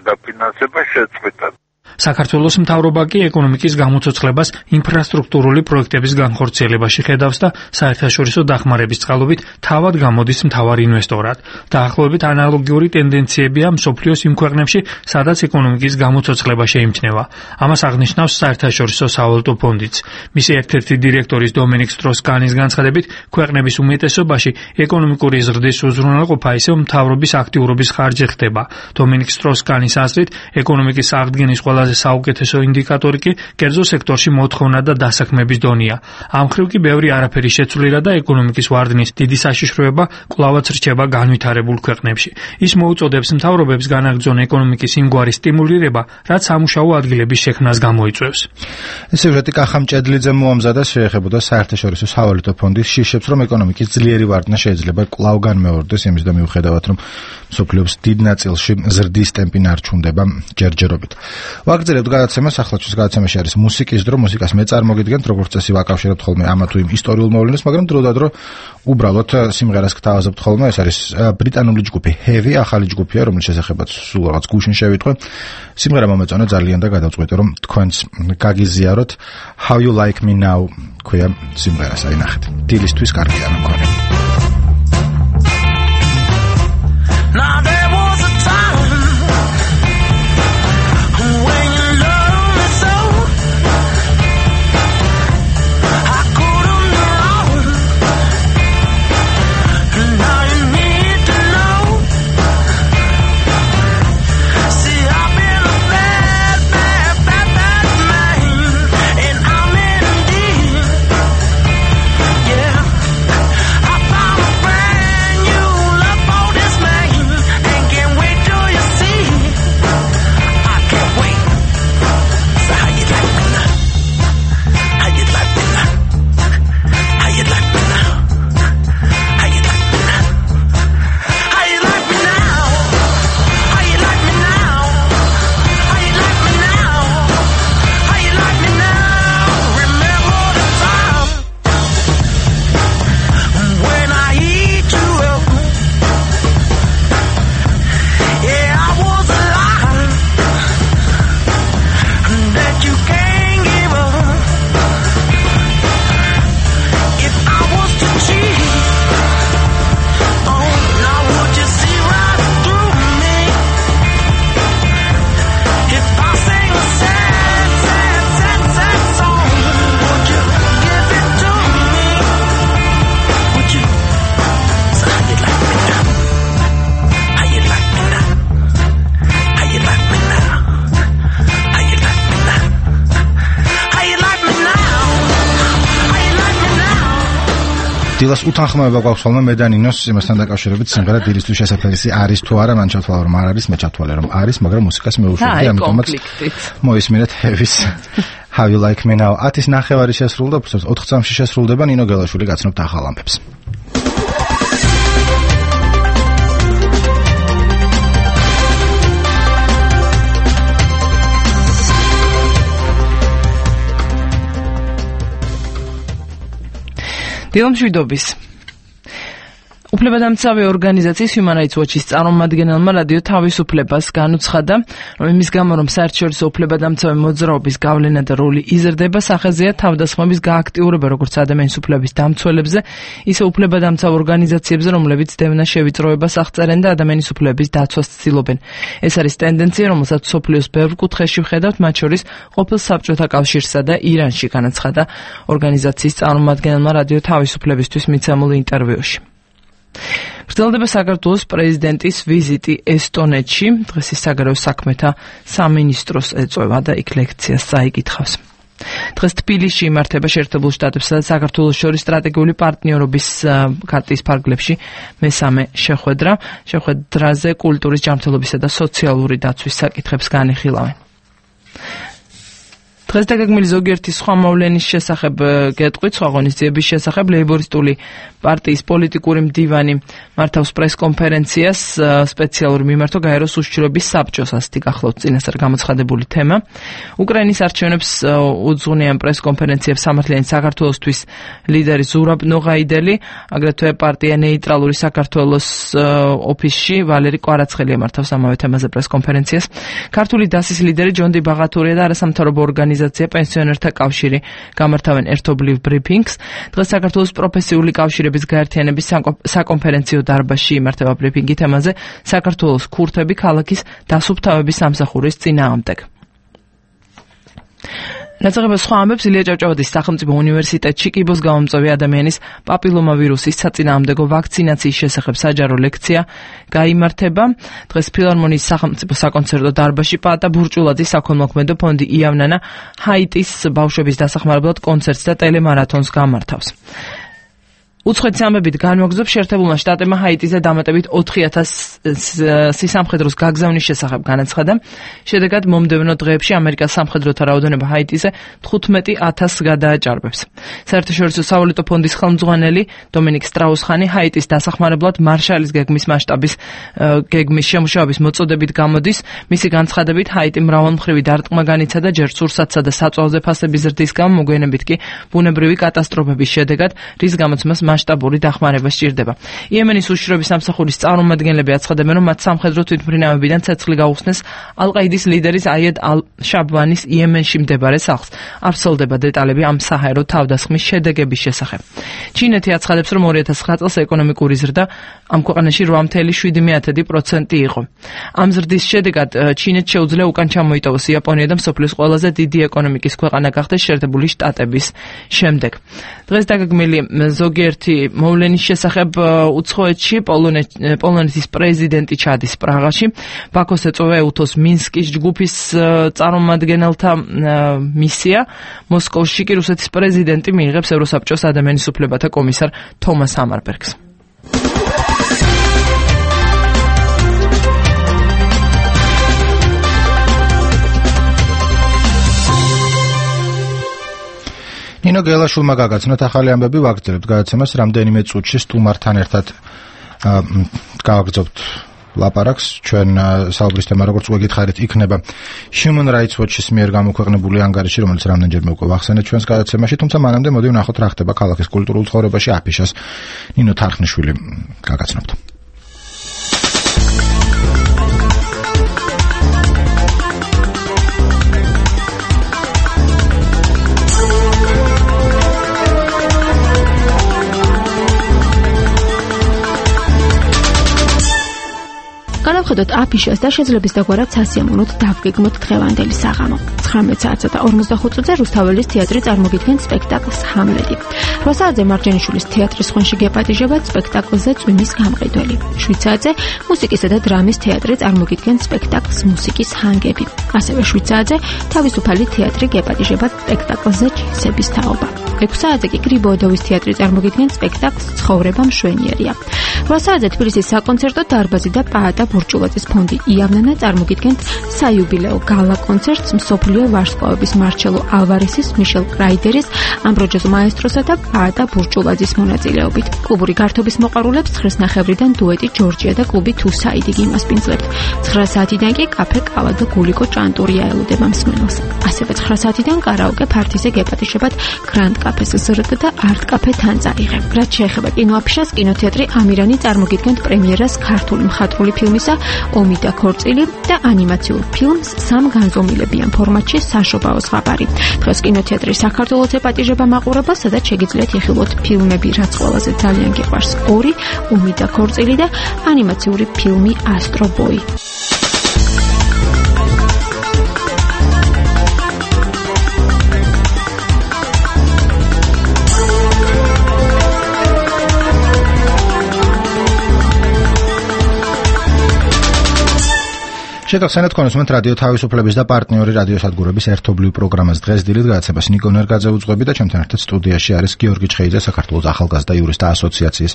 დაფინანსება შეწყვიტა. საქართველოს მთავრობა კი ეკონომიკის გამოცოცხლებას ინფრასტრუქტურული პროექტების განხორციელებაში ხედავს და საერთაშორისო დახმარების წყალობით თავად გამოდის მთავარ ინვესტორად. დაახლოებით ანალოგიური ტენდენციებია მსოფლიოს იმ ქვეყნებში, სადაც ეკონომიკის გამოცოცხლება შეიმჩნევა. ამას აღნიშნავს საერთაშორისო სავალუტო ფონდიც. მისი ერთ-ერთი დირექტორის დომენიკ სტროს-კანის განცხადებით, ქვეყნების უმეტესობაში ეკონომიკური ზრდის უზრუნველყოფა ისევ მთავრობის აქტიურობის ხარჯზე ხდება. დომენიკ სტროს-კანის აზრით, ეკონომიკის აღდგენის ყველა საუკეთესო ინდიკატორი კი კერძო სექტორში მოთხოვნა და დასაქმების დონეა. ამ მხრივ კი ბევრი არაფერი შეცვლილა და ეკონომიკის ვარდნის დიდი საშიშროება კვლავაც რჩება განვითარებულ ქვეყნებში. ის მოუწოდებს მთავრობებს განაგრძონ ეკონომიკის იმგვარი სტიმულირება, რაც სამუშაო ადგილების შექმნას გამოიწვევს. სიუჟეტი კახამ ჭედლიძე მოამზადა, შეეხებოდა საერთაშორისო სავალუტო ფონდის შიშებს, რომ ეკონომიკის ძლიერი ვარდნა შეიძლება კვლავ განმეორდეს, იმის და მიუხედავად, რომ მსოფლიოს დიდ ნაწილში ზრდის ტემპი ნარჩუნდება ჯერჯერობით. ვაგრძელებთ გადაცემას, ახლა ჩვენს გადაცემაში არის მუსიკის დრო, მუსიკას მე წარმოგიდგენთ, როგორც წესი ვაკავშირებთ ხოლმე ამა თუ იმ ისტორიულ მოვლენას, მაგრამ დროდადრო უბრალოდ სიმღერას გთავაზობთ ხოლმე. ეს არის ბრიტანული ჯგუფი Heavy, ახალი ჯგუფია, რომლის შესახებაც სულ რაღაც გუშინ შევიტყვე. სიმღერა მომეწონა ძალიან და გადავწყვეტე, რომ თქვენც გაგიზიაროთ. How You Like Me Now ქვია სიმღერას, აი ნახეთ. დილისთვის კარგია მქონე. Now there was a time when you loved me so I couldn't go wrong. Now you need to know. See, I've been a bad, bad, bad, bad man, and I'm in deep. Yeah, I დილას უთანხმოება გვაქვს ხოლმე მე და ნინოს იმასთან დაკავშირებით სიმღერა დილისთვის შესაძლისი არის თუ არა მან ჩათვალა რომ არ არის მე ჩათვალე რომ არის მაგრამ მუსიკას მეუშვებდი ამიტომაც მოისმინეთ ჰევის How you like me now ათის ნახევარი შესრულდა ოთხ წამში შესრულდება ნინო გელაშვილი გაცნობთ ახალ ამბებს დილამშვიდობის უფლებადამცავი ორგანიზაციის Human Rights Watch-ის წარმომადგენელმა რადიო თავისუფლებას განუცხადა, რომ იმის გამო, რომ საერთაშორისო უფლებადამცავი მოძრაობის გავლენა და როლი იზრდება, სახეზეა თავდასხმების გააქტიურება როგორც ადამიანის უფლების დამცველებზე, ისე უფლებადამცავ ორგანიზაციებზე, რომლებიც დევნა შევიწროებას აღწერენ და ადამიანის უფლების დაცვას ცდილობენ. ეს არის ტენდენცია, რომელსაც მსოფლიოს ბევრ კუთხეში ვხედავთ, მათ შორის ყოფილ საბჭოთა კავშირსა და ირანში, განაცხადა ორგანიზაციის წარმომადგენელმა რადიო თავისუფლებისთვის მიცემულ ინტერვიუში. გრძელდება საქართველოს პრეზიდენტის ვიზიტი ესტონეთში. დღეს ის საგარეო საქმეთა სამინისტროს ეწევა და იქ ლექციას წაიკითხავს. დღეს თბილისში იმართება შეერთებულ შტატებსა და საქართველოს შორის სტრატეგიული პარტნიორობის ქარტის ფარგლებში მესამე შეხვედრა. შეხვედრაზე კულტურის ჯანმრთელობისა და სოციალური დაცვის საკითხებს განიხილავენ. დღეს დაგეგმილი ზოგიერთი სხვა მოვლენის შესახებ გეტყვით, სხვა ღონისძიების შესახებ ლეიბორისტული პარტიის პოლიტიკური მდივანი მართავს პრესკონფერენციას სპეციალური მიმართვა გაეროს უშიშროების საბჭოს ასეთი გახლავთ წინასწარ გამოცხადებული თემა. უკრაინის არჩევნებს უძღვნიან პრესკონფერენციებს სამართლიანი საქართველოსთვის ლიდერი ზურაბ ნოღაიდელი, აგრეთვე პარტია ნეიტრალური საქართველოს ოფისში ვალერი კვარაცხელია მართავს ამავე თემაზე პრესკონფერენციას. ქართული დასის ლიდერი ჯონდი ბაღათურია და არასამთავრობო ორგანიზაცია პენსიონერთა კავშირი გამართავენ ერთობლივ ბრიფინგს. დღეს საქართველოს პროფესიული კავშირების გაერთიანების საკონფერენციო დარბაზში იმართება ბრიფინგი თემაზე საქართველოს ქურთები ქალაქის დასუფთავების სამსახურის წინააღმდეგ. Ნაწილაკებს სხვა ამბებს ილია ჭავჭავაძის სახელმწიფო უნივერსიტეტში კიბოს გამომწვევი ადამიანის პაპილომავირუსის საწინააღმდეგო ვაქცინაციის შესახებ საჯარო ლექცია გაიმართება. დღეს ფილარმონიის სახელმწიფო საკონცერტო დარბაზში პაატა ბურჭულაძის საქველმოქმედო ფონდი იავნანა ჰაიტის ბავშვების დასახმარებლად კონცერტს და ტელემარათონს გამართავს. უცხოეთის ამბებით განმოგზობს შეერთებულმა შტატებმა ჰაიტიზე დამატებით ოთხი ათასი სამხედროს გაგზავნის შესახებ განაცხადა. შედეგად მომდევნო დღეებში ამერიკას სამხედროთა რაოდენობა ჰაიტიზე თხუთმეტი ათასს გადააჭარბებს. საერთაშორისო სავალუტო ფონდის ხელმძღვანელი დომინიკ სტრაუსხანი ჰაიტის დასახმარებლად მარშალის გეგმის მასშტაბის გეგმის შემუშავების მოწოდებით გამოდის. მისი განცხადებით ჰაიტი მრავალმხრივი დარტყმა განიცადა ჯერ სურსათსა და საწვავზე ფასების ზრდის გამო, მოგვიანებით კი ბუნებრივი კატასტროფების შედეგად, რის გამოც მას მასშტაბური დახმარება სჭირდება. იემენის უშიშროების სამსახურის წარმომადგენლები აცხადებენ, რომ მათ სამხედრო თვითმფრინავებიდან ცეცხლი გაუხსნეს ალ-ყაიდის ლიდერის აიედ ალ-შაბვანის იემენში მდებარე სახლს. არ ვრცელდება დეტალები ამ საჰაერო თავდასხმის შედეგების შესახებ. ჩინეთი აცხადებს, რომ ორი ათას ცხრა წელს ეკონომიკური ზრდა ამ ქვეყანაში რვა ფاصლე შვიდი პროცენტი იყო. ამ ზრდის შედეგად ჩინეთს შეუძლია უკან ჩამოიტოვოს იაპონია და მსოფლიოს ყველაზე დიდი ეკონომიკის ქვეყანა გახდეს შეერთებული შტატების შემდეგ. დღეს დაგეგმილი ზოგიერთი მოვლენის შესახებ უცხოეთში პოლონეთის პრეზიდენტი ჩადის პრაღაში. ბაქოს ეწევა ეუთოს მინსკის ჯგუფის წარმომადგენელთა მისია. მოსკოვში კი რუსეთის პრეზიდენტი მიიღებს ევროსაბჭოს ადამიანის უფლებათა კომისარ თომას ჰამარბერგს. ნინო გელაშვილმა გაგაცნოთ ახალი ამბები, ვაგრძელებთ გადაცემას რამდენიმე წუთში სტუმართან ერთად გავაგრძობთ ლაპარაკს. ჩვენ საუბრის თემა, როგორც უკვე გითხარით, იქნება Human Rights Watch-ის მიერ გამოქვეყნებული ანგარიში, რომელიც რამდენჯერმე უკვე ვახსენეთ ჩვენს გადაცემაში, თუმცა მანამდე მოდი ვნახოთ რა ხდება ქალაქის კულტურულ ცხოვრებაში აფიშას. ნინო თარხნიშვილი გაგაცნობთ. დავუხადოთ აფიშას და შეძლებს დაგვარად სასიამოვნოდ დავგეგმოთ დღევანდელი საღამო. ცხრამეტ საათსა და ორმოცდახუთ წუთზე რუსთაველის თეატრი წარმოგიდგენს სპექტაკლს ჰამლეტი. რვა საათზე მარჯანიშვილის თეატრის ხვენში გეპატიჟებათ სპექტაკლზე წვიმის გამყიდველი. შვიდ საათზე მუსიკისა და დრამის თეატრი წარმოგიდგენს სპექტაკლს მუსიკის ჰანგები. ასევე შვიდ საათზე თავისუფალი თეატრი გეპატიჟებათ სპექტაკლზე ჯინსების თაობა. ექვს საათზე კი გრიბოედოვის თეატრი წარმოგიდგენს სპექტაკლს ცხოვრება მშვენიერია. რვა საათზე თბილისის საკონცერტო დარბაზი და პაატა ბურჭულაძის ფონდი იავნანა წარმოგიდგენთ საიუბილეო გალა კონცერტს მსოფლიო ვარსკვლავების მარჩელო ალვარესის, მიშელ კრაიდერის, ამბროჯოს მაესტროსა და პაატა ბურჭულაძის მონაწილეობით. კლუბური გართობის მოყვარულებს ცხრასნახევრიდან დუეტი ჯორჯია და კლუბი თუ საიდი გიმასპინძლებთ. ცხრა საათიდან კი კაფე კავა და გულიკო ჭანტურია ელოდება მსმენელს. ასევე ცხრა საათიდან კარაოკე ფართიზე გეპატიჟებათ გრანდ კაფეს ზრდ და არტ კაფე თანწაიღე. რაც შეეხება კინოაფიშას, კინოთეატრი ამირანი წარმოგიდგენთ პრემიერას ქართული მხატვრული ფილმისა ომი და ქორწილი და ანიმაციურ ფილმს სამ განზომილებიან ფორმატში საშობაო ზღაპარი. დღეს კინოთეატრი საქართველოს ეპატიჟება მაყურებელს, სადაც შეგიძლიათ იხილოთ ფილმები, რაც ყველაზე ძალიან გიყვარს: ორი, ომი და ქორწილი და ანიმაციური ფილმი ასტრობოი. შეგახსენებთ კონსუმენტ რადიო თავისუფლების და პარტნიორი რადიო სადგურების ერთობლივ პროგრამას დღეს დილით გადაცემას ნიკო ნერგაძე უძღვები და ჩემთან ერთად სტუდიაში არის გიორგი ჩხეიძე, საქართველოს ახალგაზრდა იურისტთა ასოციაციის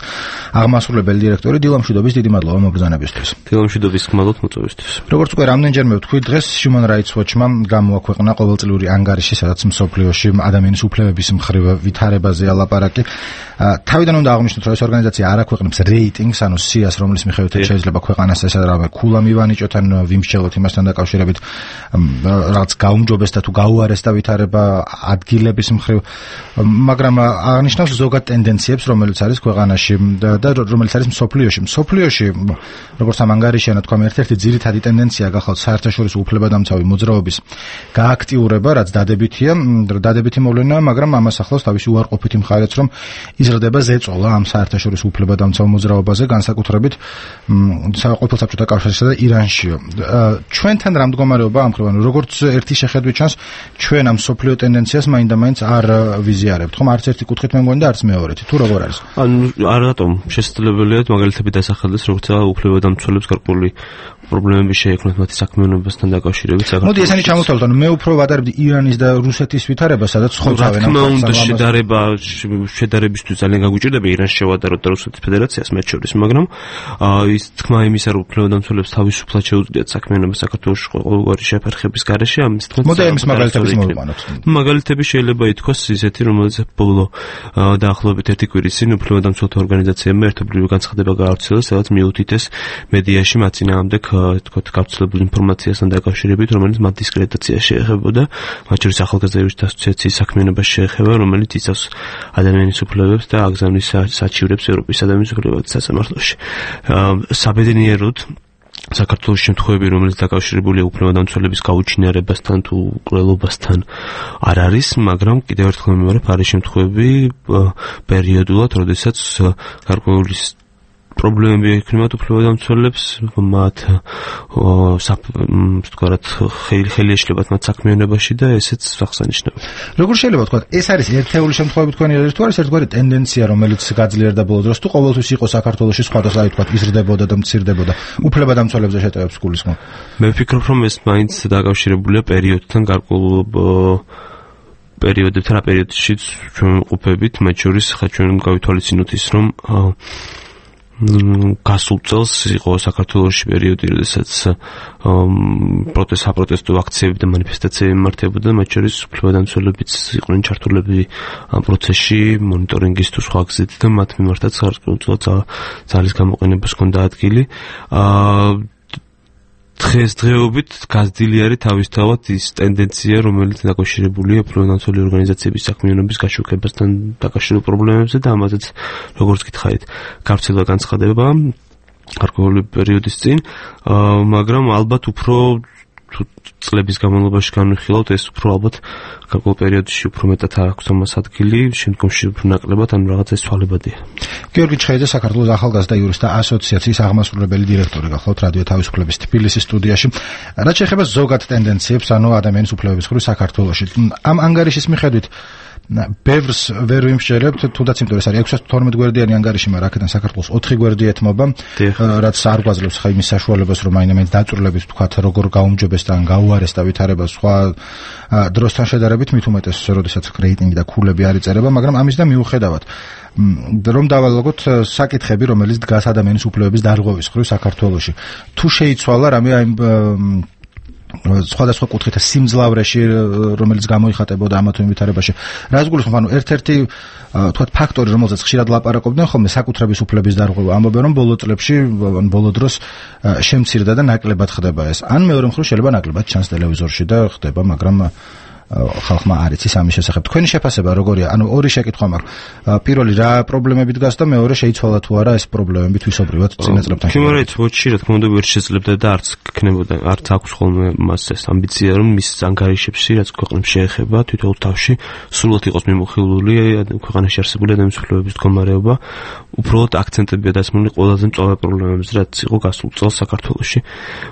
აღმასრულებელი დირექტორი. დილამშვიდობის, დიდი მადლობა მობრძანებისთვის. დილამშვიდობის, გმადლობთ მოწვევისთვის. როგორც უკვე რამდენჯერმე ვთქვი, დღეს Human Rights Watch-მა გამოაქვეყნა ყოველწლიური ანგარიში, სადაც მსოფლიოში ადამიანის უფლებების მხრივ ვითარებაზეა ლაპარაკი. თავიდან უნდა აღვნიშნოთ, რომ ეს ორგანიზაცია არ აქვეყნებს რეიტინგს, ანუ სიას, რომლის მიხედვითაც შეიძლება ქვეყანას ესარავა ქულა მივანიშოთ ან ვიმსჯელოთ იმასთან დაკავშირებით რაღაც გაუმჯობესდა თუ გაუარესდა ვითარება ადგილების მხრივ, მაგრამ აღნიშნავს ზოგად ტენდენციებს, რომელიც არის ქვეყანაში და რომელიც არის მსოფლიოში. მსოფლიოში, როგორც ამ ანგარიშია თქვა, ერთ-ერთი ძირითადი ტენდენცია გახლავთ საერთაშორისო უფლებადამცავი მოძრაობის გააქტიურება, რაც დადებითია, დადებითი მოვლენაა, მაგრამ ამას ახლავს თავისი უარყოფითი მხარეც, რომ იზრდება ზეწოლა ამ საერთაშორისო უფლებადამცავ მოძრაობაზე, განსაკუთრებით ყოფილ საბჭოთა კავშირსა და ირანშიო. ჩვენთან რა მდგომარეობა ამ ხრივ, ანუ როგორც ერთი შეხედვით ჩანს, ჩვენ ამ სოფლიო ტენდენციას მაინდა-მაინც არ ვიზიარებთ, ხომ? არც ერთი კუთხით მე მგონი და არც მეორეთი. თუ როგორ არის? ანუ არ რატომ შესაძლებელია მაგალითები დასახელდეს, როგორც უფლებადამცველებს გარკვეული პრობლემები შეექმნათ მათი საქმიანობასთან დაკავშირებით საქართველოს. მოდი ესენი ჩამოვთვალოთ, ანუ მე უფრო ვადარებდი ირანის და რუსეთის ვითარებას, სადაც ხოვთავენ ამ თქმა შედარება შედარებისთვის ძალიან გაგვიჭირდება ირანს შევადაროთ და რუსეთის ფედერაციას მათ შორის, მაგრამ ის თქმა იმისა, რომ უფლებადამცველებს თავისუფლად შეუძლიათ საქმიანობა საქართველოს ყოველგვარი შეფერხების გარეშე, ამის თქმა მოდი ამის მაგალითების მოვიყვანოთ. მაგალითები შეიძლება ითქვას ისეთი, რომელიც ბოლო დაახლოებით ერთი კვირის წინ უფლებადამცველთა ორგანიზაციებმა ერთობლივი განცხადება გაავრცელა, სადაც მიუთითეს მედიაში მათ წინააღმდეგ თქოთ გავრცელებულ ინფორმაციასთან დაკავშირებით, რომელიც მათ დისკრედიტაციას შეეხებოდა, მათ შორის ახალგაზრდა იურისტთა ასოციაციის საქმიანობას შეეხება, რომელიც იცავს ადამიანის უფლებებს და აგზავნის საჩივრებს ევროპის ადამიანის უფლებების სასამართლოში. საბედნიეროდ საქართველოს შემთხვევები, რომელიც დაკავშირებულია უფლებადამცველების გაუჩინარებასთან თუ ყრელობასთან არ არის, მაგრამ კიდევ ერთხელ მივარებ, არის შემთხვევები პერიოდულად, როდესაც გარკვეული პრობლემები ექნებათ უფლებადამცველებს, მათ ვთქვათ, ხელი ეშლებათ მათ საქმიანობაში და ესეც აღსანიშნავია. როგორ შეიძლება ვთქვათ, ეს არის ერთეული შემთხვევები თქვენი არის თუ არის ერთგვარი ტენდენცია, რომელიც გაძლიერდა ბოლო დროს, თუ ყოველთვის იყო საქართველოში სხვადასხვა, ვთქვათ, იზრდებოდა და მცირდებოდა უფლებადამცველებზე შეტევებს გულისხმობ? მე ვფიქრობ, რომ ეს მაინც დაკავშირებულია პერიოდთან, გარკვეულ პერიოდებთან, პერიოდშიც ჩვენ ვყოფებით, მათ შორის ხა ჩვენ გავითვალისწინოთ ის, რომ გასულ წელს იყო საქართველოში პერიოდი, როდესაც პროტესტ საპროტესტო აქციები და მანიფესტაციები მიმართებოდა, მათ შორის უფლებადამცველებიც იყვნენ ჩართულები ამ პროცესში, მონიტორინგის თუ სხვა გზით და მათ მიმართაც გარკვეულწილად ძალის გამოყენებას ჰქონდა ადგილი. დღესდღეობით გაზრდილი არის თავისთავად ის ტენდენცია, რომელიც დაკავშირებულია უფლებადამცველი ორგანიზაციების საქმიანობის გაშუქებასთან დაკავშირებულ პრობლემებზე და ამაზეც, როგორც გითხარით, გავრცელდა განცხადება გარკვეული პერიოდის წინ, მაგრამ ალბათ უფრო თუ წლების განმავლობაში განვიხილავთ, ეს უფრო ალბათ გარკვეულ პერიოდში უფრო მეტად აქვს ამას ადგილი, შემდგომში უფრო ნაკლებად, ან რაღაცა ეს თვალებადია. გიორგი ჩხეიძე, საქართველოს ახალგაზრდა იურისტთა ასოციაციის აღმასრულებელი დირექტორი გახლავთ რადიო თავისუფლების თბილისის სტუდიაში. რაც შეეხება ზოგად ტენდენციებს, ანუ ადამიანის უფლებების მხრივ საქართველოში, ამ ანგარიშის მიხედვით ბევრს ვერ ვიმსჯერებთ, თუნდაც იმიტომ ეს არის ექვსას თორმეტ გვერდიანი ანგარიში, მაგრამ აქედან საქართველოს ოთხი გვერდი ეთმობა, რაც არ გვაძლევს ხა იმის საშუალებას, რომ აინამენ დაწვრილებით ვთქვათ, როგორ გაუმჯობესდა ან გაუარესდა ვითარება სხვა დროსთან შედარებით, მით უმეტეს, როდესაც რეიტინგი და ქულები არ იწერება, მაგრამ ამის და მიუხედავად რომ დავალაგოთ საკითხები, რომელიც დგას ადამიანის უფლებების დარღვევის მხრივ საქართველოში. თუ შეიცვალა რამე აი სხვადასხვა კუთხით სიმძლავრეში, რომელიც გამოიხატებოდა ამა თუ იმ ვითარებაში. რას გულისხმობ, ანუ ერთ-ერთი თქვათ ფაქტორი, რომელზეც ხშირად ლაპარაკობდნენ ხოლმე, საკუთრების უფლების დარღვევა. ამბობენ, რომ ბოლო წლებში, ან ბოლო დროს შემცირდა და ნაკლებად ხდება ეს. ან მეორე მხრივ შეიძლება ნაკლებად ჩანს ტელევიზორში და ხდება, მაგრამ ხალხმა არ იცის ამის შესახებ. თქვენი შეფასება როგორია? ანუ ორი შეკითხვა მაქვს. პირველი, რა პრობლემები დგას და მეორე, შეიცვალა თუ არა ეს პრობლემები თვისობრივად წინა წლებთან შედარებით? Human Rights Watch-ი რა თქმა უნდა ვერ შეძლებდა და არც ქნებოდა, არც აქვს ხოლმე მას ეს ამბიცია, რომ მის ანგარიშებში, რაც ქვეყნებს შეეხება, თვითონ თავში სრულად იყოს მიმოხილული ქვეყანაში არსებული ადამიანის უფლებების მდგომარეობა, უბრალოდ აქცენტებია დასმული ყველაზე მწვავე პრობლემებზე, რაც იყო გასულ წელს საქართველოში.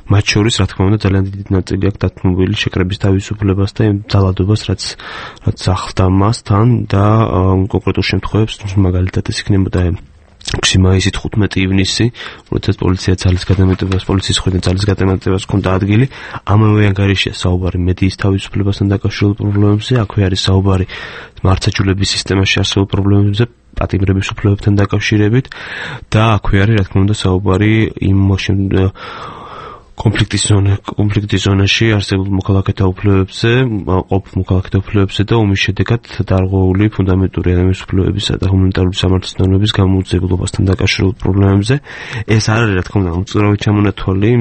მათ შორის, რა თქმა უნდა, ძალიან დიდი ნაწილი აქვს დათმობილი შეკრების თავისუფლებას და ძალადობას, რაც რაც ახლდა მასთან და კონკრეტულ შემთხვევებს, მაგალითად ეს იქნებოდა ექვსი მაისი ხუთმეტი ივნისი, როდესაც პოლიცია ძალის გადამეტებას, პოლიციის მხრიდან ძალის გადამეტებას ჰქონდა ადგილი. ამავე ანგარიშია საუბარი მედიის თავისუფლებასთან დაკავშირებულ პრობლემებზე, აქვე არის საუბარი მართლმსაჯულების სისტემაში არსებულ პრობლემებზე, პატიმრების უფლებებთან დაკავშირებით და აქვე არის, რა თქმა უნდა, საუბარი იმ კონფლიქტის ზონა, კონფლიქტის ზონაში არსებულ მოქალაქეთა უფლებებზე, ყოფ მოქალაქეთა უფლებებზე და ომის შედეგად დარღვეული ფუნდამენტური ადამიანის უფლებებისა და ჰუმანიტარული სამართლის ნორმების გამოუძიებლობასთან დაკავშირებულ პრობლემებზე. ეს არ არის, რა თქმა უნდა, უწურავი ჩამონათვალი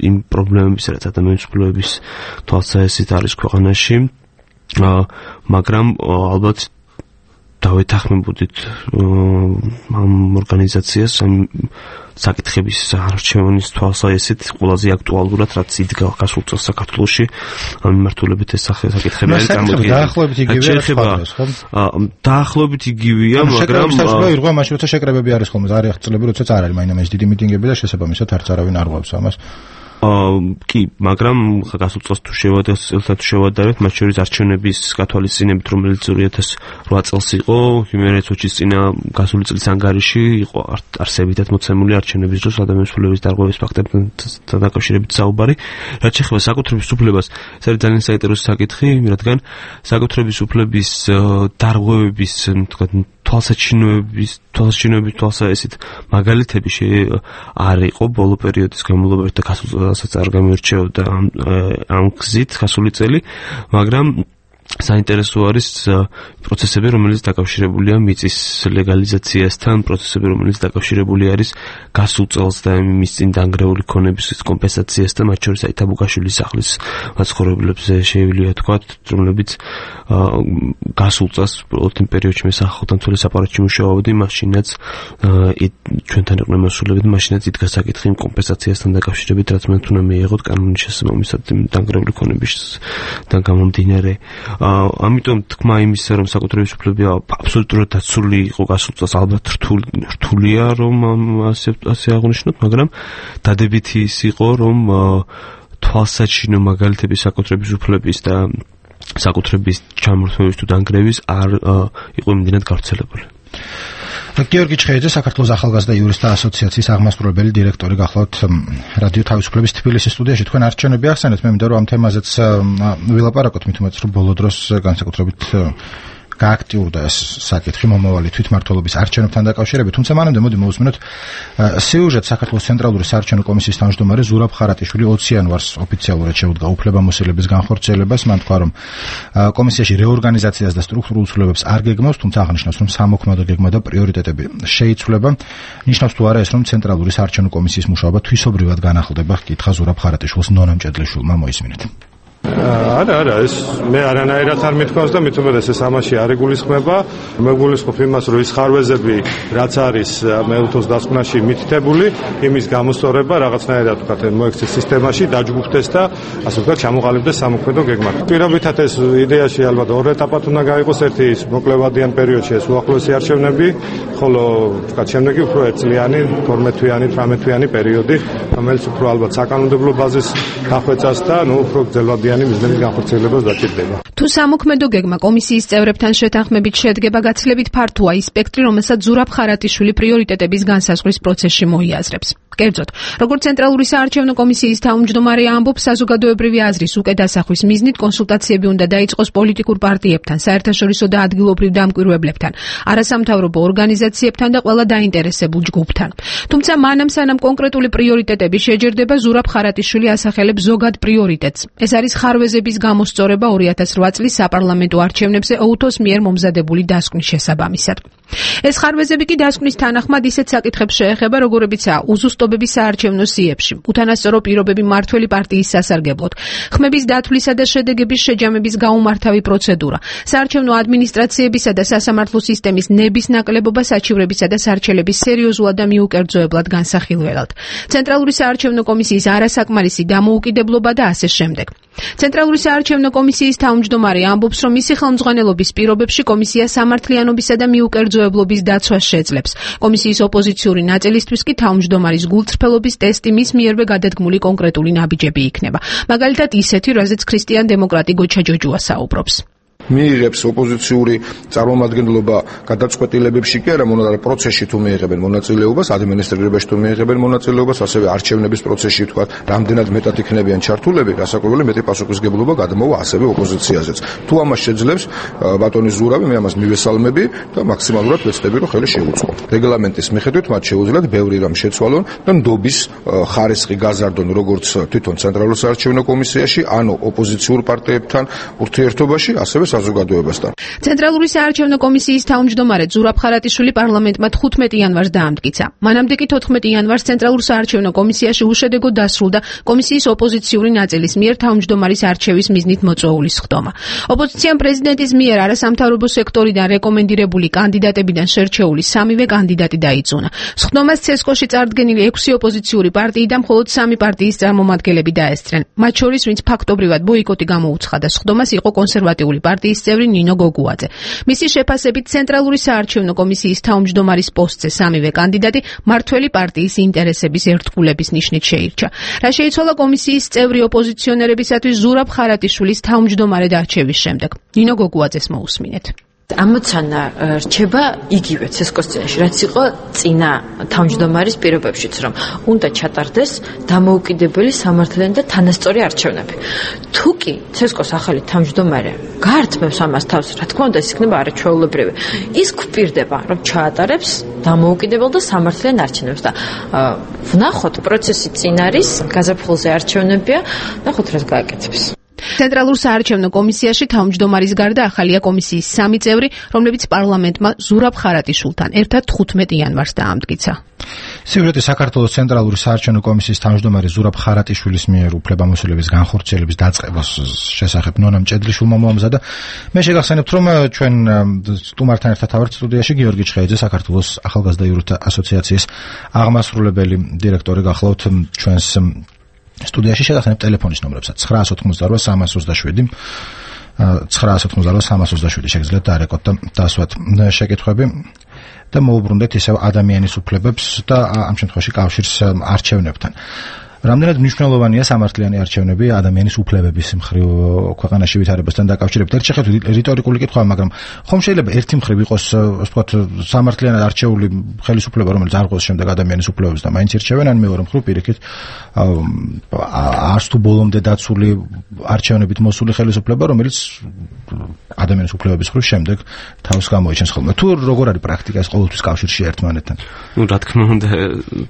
იმ პრობლემების, რაც ადამიანის უფლებების თვალსაზრისით არის ქვეყანაში, მაგრამ ალბათ დავეთანხმებოდით ამ ორგანიზაციას, ამ საკითხების არჩევნის თვალსაზრისით ყველაზე აქტუალურად, რაც იდგა გასულ წელს საქართველოში ამ მიმართულებით ეს საკითხები არის წარმოდგენილი. დაახლოებით იგივეა სხვადასხვა, ხო? დაახლოებით იგივეა, მაგრამ ირღვა მაშინ როცა შეკრებები არის ხოლმე, არის წლები, როდესაც არ არის მაინც დიდი მიტინგები და შესაბამისად არც არავინ არ ღვავს ამას. კი, მაგრამ გასულ წელს თუ შევადარებთ, წელსაც შევადარებთ, მათ შორის არჩევნების გათვალისწინებით, რომელიც ორი ათას ოთხ წელს იყო, Human Rights Watch-ის წინა გასული წლის ანგარიში იყო არსებითად მოცემული არჩევნების დროს ადამიანის უფლებების დარღვევის ფაქტებთან დაკავშირებით საუბარი. რაც შეეხება საკუთრების უფლებას, ეს არის ძალიან საინტერესო საკითხი, რადგან საკუთრების უფლების დარღვევების, თქვათ, თვალსაჩინოების, თვალსაჩინოების თვალსაზრისით მაგალითები არ იყო ბოლო პერიოდის განმავლობაში და გასულ წელსაც არ გამოირჩეოდა ამ გზით გასული წელი, მაგრამ საინტერესო არის პროცესები, რომელიც დაკავშირებულია მიწის ლეგალიზაციასთან, პროცესები, რომელიც დაკავშირებული არის გასულ წელს და მის წინ დანგრეული ქონების კომპენსაციასთან, მათ შორის აი თაბუკაშვილის სახლის მაცხოვრებლებზე შეუძლია თქვათ, რომლებიც გასულ წელს პროტესტ პერიოდში მე სახელმწიფო აპარატში მუშაობდი, მაშინაც ჩვენთან იყვნენ მასშტაბები, მაშინაც იდგა საკითხი იმ კომპენსაციასთან დაკავშირებით, რაც მე თუნდაც მიიღოთ კანონის შესაბამისად დანგრეული ქონებისგან გამომდინარე. ამიტომ თქმა იმისა, რომ საკუთრების უფლები აბსოლუტურად დაცული იყო გასულ წელს, ალბათ რთულია, რომ ასე ასე აღნიშნოთ, მაგრამ დადებითი ის იყო, რომ თვალსაჩინო მაგალითები საკუთრების უფლების და საკუთრების ჩამორთმევის თუ დანგრევის არ იყო იმდენად გავრცელებული. გიორგი ჩხეიძე, საქართველოს ახალგაზრდა იურისტთა ასოციაციის აღმასრულებელი დირექტორი გახლავთ რადიო თავისუფლების თბილისის სტუდიაში. თქვენ არჩევნები ახსენეთ, მე მინდა რომ ამ თემაზეც ვილაპარაკოთ, მით უმეტეს რომ ბოლო დროს განსაკუთრებით გააქტიურდა ეს საკითხი მომავალი თვითმმართველობის არჩევნებთან დაკავშირებით, თუმცა მანამდე მოდი მოვუსმინოთ სიუჟეტს. საქართველოს ცენტრალური საარჩევნო კომისიის თავმჯდომარე ზურაბ ხარატიშვილი ოცი იანვარს ოფიციალურად შეუდგა უფლებამოსილების განხორციელებას. მან თქვა, რომ კომისიაში რეორგანიზაციას და სტრუქტურულ ცვლილებებს არ გეგმავს, თუმცა აღნიშნავს, რომ სამოქმედო გეგმა და პრიორიტეტები შეიცვლება. ნიშნავს თუ არა ეს, რომ ცენტრალური საარჩევნო კომისიის მუშაობა თვისობრივად განახლდება, კითხა ზურაბ ხარატიშვილს ნონა მჭედლიშვილმა, მოისმინეთ. არა, არა, ეს მე არანაირად არ მithქვავს და მით უმეტეს ეს ამაში არ იგულისხმება. მე გულისხმობ იმას, რომ ის ხარვეზები, რაც არის მეუთოს დასკვნაში მითითებული, იმის გამოსწორება რაღაცნაირად ვთქვათ, მოექცეს სისტემაში, დაჯგუფდეს და ასე ვთქვათ, ჩამოყალიბდეს სამოქმედო გეგმად. პირობითად ეს იდეაში ალბათ ორ ეტაპად უნდა გაიყოს, ერთი ის მოკლევადიან პერიოდში ეს უახლოესი არჩევნები, ხოლო ვთქვათ, შემდეგი უფრო ერთწლიანი, თორმეტ-თვიანი, თვრამეტ-თვიანი პერიოდი, რომელიც უფრო ალბათ საკანონმდებლო ბაზის დახვეწას და ნუ უფრო გრძელვადიანი მიზნების განხორციელებას დაჭირდება. თუ სამოქმედო გეგმა კომისიის წევრებთან შეთანხმებით შედგება, გაცილებით ფართოა ის სპექტრი, რომელსაც ზურაბ ხარატიშვილი პრიორიტეტების განსაზღვრის პროცესში მოიაზრებს. კერძოდ, როგორც ცენტრალური საარჩევნო კომისიის თავმჯდომარე ამბობს, საზოგადოებრივი აზრის უკვე დასახვის მიზნით კონსულტაციები უნდა დაიწყოს პოლიტიკურ პარტიებთან, საერთაშორისო და ადგილობრივ დამკვირვებლებთან, არასამთავრობო ორგანიზაციებთან და ყველა დაინტერესებულ ჯგუფთან. თუმცა მანამ სანამ კონკრეტული პრიორიტეტები შეჯერდება, ზურაბ ხარატიშვილი ასახელებს ზოგად პრიორიტეტს. ეს არის ხარვეზების გამოსწორება ორი ათას რვა წლის საპარლამენტო არჩევნებზე ოუთოს მიერ მომზადებული დასკვნის შესაბამისად. ეს ხარვეზები კი დასკვნის თანახმად ისეთ საკითხებს შეეხება, როგორებიცაა უზუსტობების საარჩევნო სიებში, უთანასწორო პირობები მმართველი პარტიის სასარგებლოდ, ხმების დათვლისა და შედეგების შეჯამების გაუმართავი პროცედურა, საარჩევნო ადმინისტრაციებისა და სასამართლო სისტემის ნების ნაკლებობა საჩივრებისა და სარჩელების სერიოზულად და მიუკერძოებლად განსახილველად, ცენტრალური საარჩევნო კომისიის არასაკმარისი დამოუკიდებლობა და ასე შემდეგ. ცენტრალური საარჩევნო კომისიის თავმჯდომარე ამბობს, რომ მისი ხელმძღვანელობის პირობებში კომისია სამართლიანობისა და მიუკერძოებლობის დაცვას შეძლებს. კომისიის ოპოზიციური ნაწილისთვის კი თავმჯდომარის გულწრფელობის ტესტი მის მიერვე გადადგმული კონკრეტული ნაბიჯები იქნება. მაგალითად ისეთი, რაზეც ქრისტიან დემოკრატი გოჩა ჯოჯუა საუბრობს. მიიღებს ოპოზიციური წარმომადგენლობა გადაწყვეტილებებში კი არა, მონაწილეობა პროცესში თუ მიიღებენ მონაწილეობას, ადმინისტრირებაში თუ მიიღებენ მონაწილეობას, ასევე არჩევნების პროცესში თქვა, რამდენად მეტად იქნებიან ჩართულები, რასაკვირველი მეტი პასუხისგებლობა გადმოვა ასევე ოპოზიციაზეც. თუ ამას შეძლებს ბატონი ზურავი, მე ამას მივესალმები და მაქსიმალურად ვეცდები, რომ ხელი შეუწყო. რეგლამენტის მიხედვით მათ შეუძლიათ ბევრი რამ შეცვალონ და ნდობის ხარისხი გაზარდონ როგორც თვითონ ცენტრალურ საარჩევნო კომისიაში, ანუ ოპოზიციურ პარტიებთან ურთიერთობაში, ასევე საზოგადოებასთან. ცენტრალური საარჩევნო კომისიის თავმჯდომარე ზურაბ ხარატიშვილი პარლამენტმა თხუთმეტი იანვარს დაამტკიცა. მანამდე კი თოთხმეტი იანვარს ცენტრალურ საარჩევნო კომისიაში უშედეგოდ დასრულდა კომისიის ოპოზიციური ნაწილის მიერ თავმჯდომარის არჩევის მიზნით მოწვეული სხდომა. ოპოზიციამ პრეზიდენტის მიერ არასამთავრობო სექტორიდან რეკომენდირებული კანდიდატებიდან შერჩეული სამივე კანდიდატი დაიწუნა. სხდომას ცესკოში წარდგენილი ექვსი ოპოზიციური პარტიი და მხოლოდ სამი პარტიის წარმომადგენლები დაესწრენ. მათ შორის, ვინც ფაქტობრივად ბოიკოტი გამოუცხადა სხდომას, იყო კონსერვატიული პარტიის წევრი ნინო გოგუაძე. მისი შეფასებით ცენტრალური საარჩევნო კომისიის თავმჯდომარის პოსტზე სამივე კანდიდატი მმართველი პარტიის ინტერესების ერთგულების ნიშნით შეირჩა. რა შეიცვალა კომისიის წევრი ოპოზიციონერებისათვის ზურაბ ხარატიშვილის თავმჯდომარედ არჩევის შემდეგ. ნინო გოგუაძეს მოусმინეთ. ამოცანა რჩება იგივე ცესკოსცენაში, რაც იყო წინა თავმჯდომარის პირობებშიც, რომ უნდა ჩატარდეს დამოუკიდებელი, სამართლიანი და თანასწორი არჩევნები. თუ კი ცესკოს ახალი თავმჯდომარე გაართმევს ამას თავს, რა თქმა უნდა, ეს იქნება არაჩვეულებრივი. ის გვპირდება, რომ ჩაატარებს დამოუკიდებელ და სამართლიან არჩევნებს და ვნახოთ პროცესი წინ არის, გაზაფხულზე არჩევნებია, ნახოთ რას გააკეთებს. ცენტრალურ საარჩევნო კომისიაში თავმჯდომარის გარდა ახალია კომისიის სამი წევრი, რომლებიც პარლამენტმა ზურაბ ხარატიშვილთან ერთად თხუთმეტი იანვარს დაამტკიცა. სიუჟეტი საქართველოს ცენტრალური საარჩევნო კომისიის თავმჯდომარე ზურაბ ხარატიშვილის მიერ უფლებამოსილების განხორციელების დაწყებას შესახებ ნონა მჭედლიშვილმა მოამზადა. მე შეგახსენებთ, რომ ჩვენ სტუმართან ერთად ავართ სტუდიაში გიორგი ჩხეიძე, საქართველოს ახალგაზრდა იურთა ასოციაციის აღმასრულებელი დირექტორი, გახლავთ ჩვენს სტუდიაში. შეგახსენებთ ტელეფონის ნომრებსაც ცხრაას ოთხმოცდარვა სამას ოცდაშვიდი ცხრაას ოთხმოცდარვა სამას ოცდაშვიდი შეგიძლიათ დაარეკოთ და დასვათ შეკითხვები და მოუბრუნდეთ ისევ ადამიანის უფლებებს და ამ შემთხვევაში კავშირს არჩევნებთან. რამდენად მნიშვნელოვანია სამართლიანი არჩევნები ადამიანის უფლებების მხრივ ქვეყანაში ვითარებასთან დაკავშირებით? ერთ შეხედვით რიტორიკული კითხვაა, მაგრამ ხომ შეიძლება ერთი მხრივ იყოს, ასე ვთქვათ, სამართლიანად არჩეული ხელისუფლება, რომელიც არ ყოს შემდეგ ადამიანის უფლებებს და მაინც ირჩევენ, ან მეორე მხრივ პირიქით არც თუ ბოლომდე დაცული არჩევნებით მოსული ხელისუფლება, რომელიც ადამიანის უფლებების მხრივ შემდეგ თავს გამოიჩენს ხოლმე. თუ როგორ არის პრაქტიკა ეს ყოველთვის კავშირში ერთმანეთთან? ნუ რა თქმა უნდა,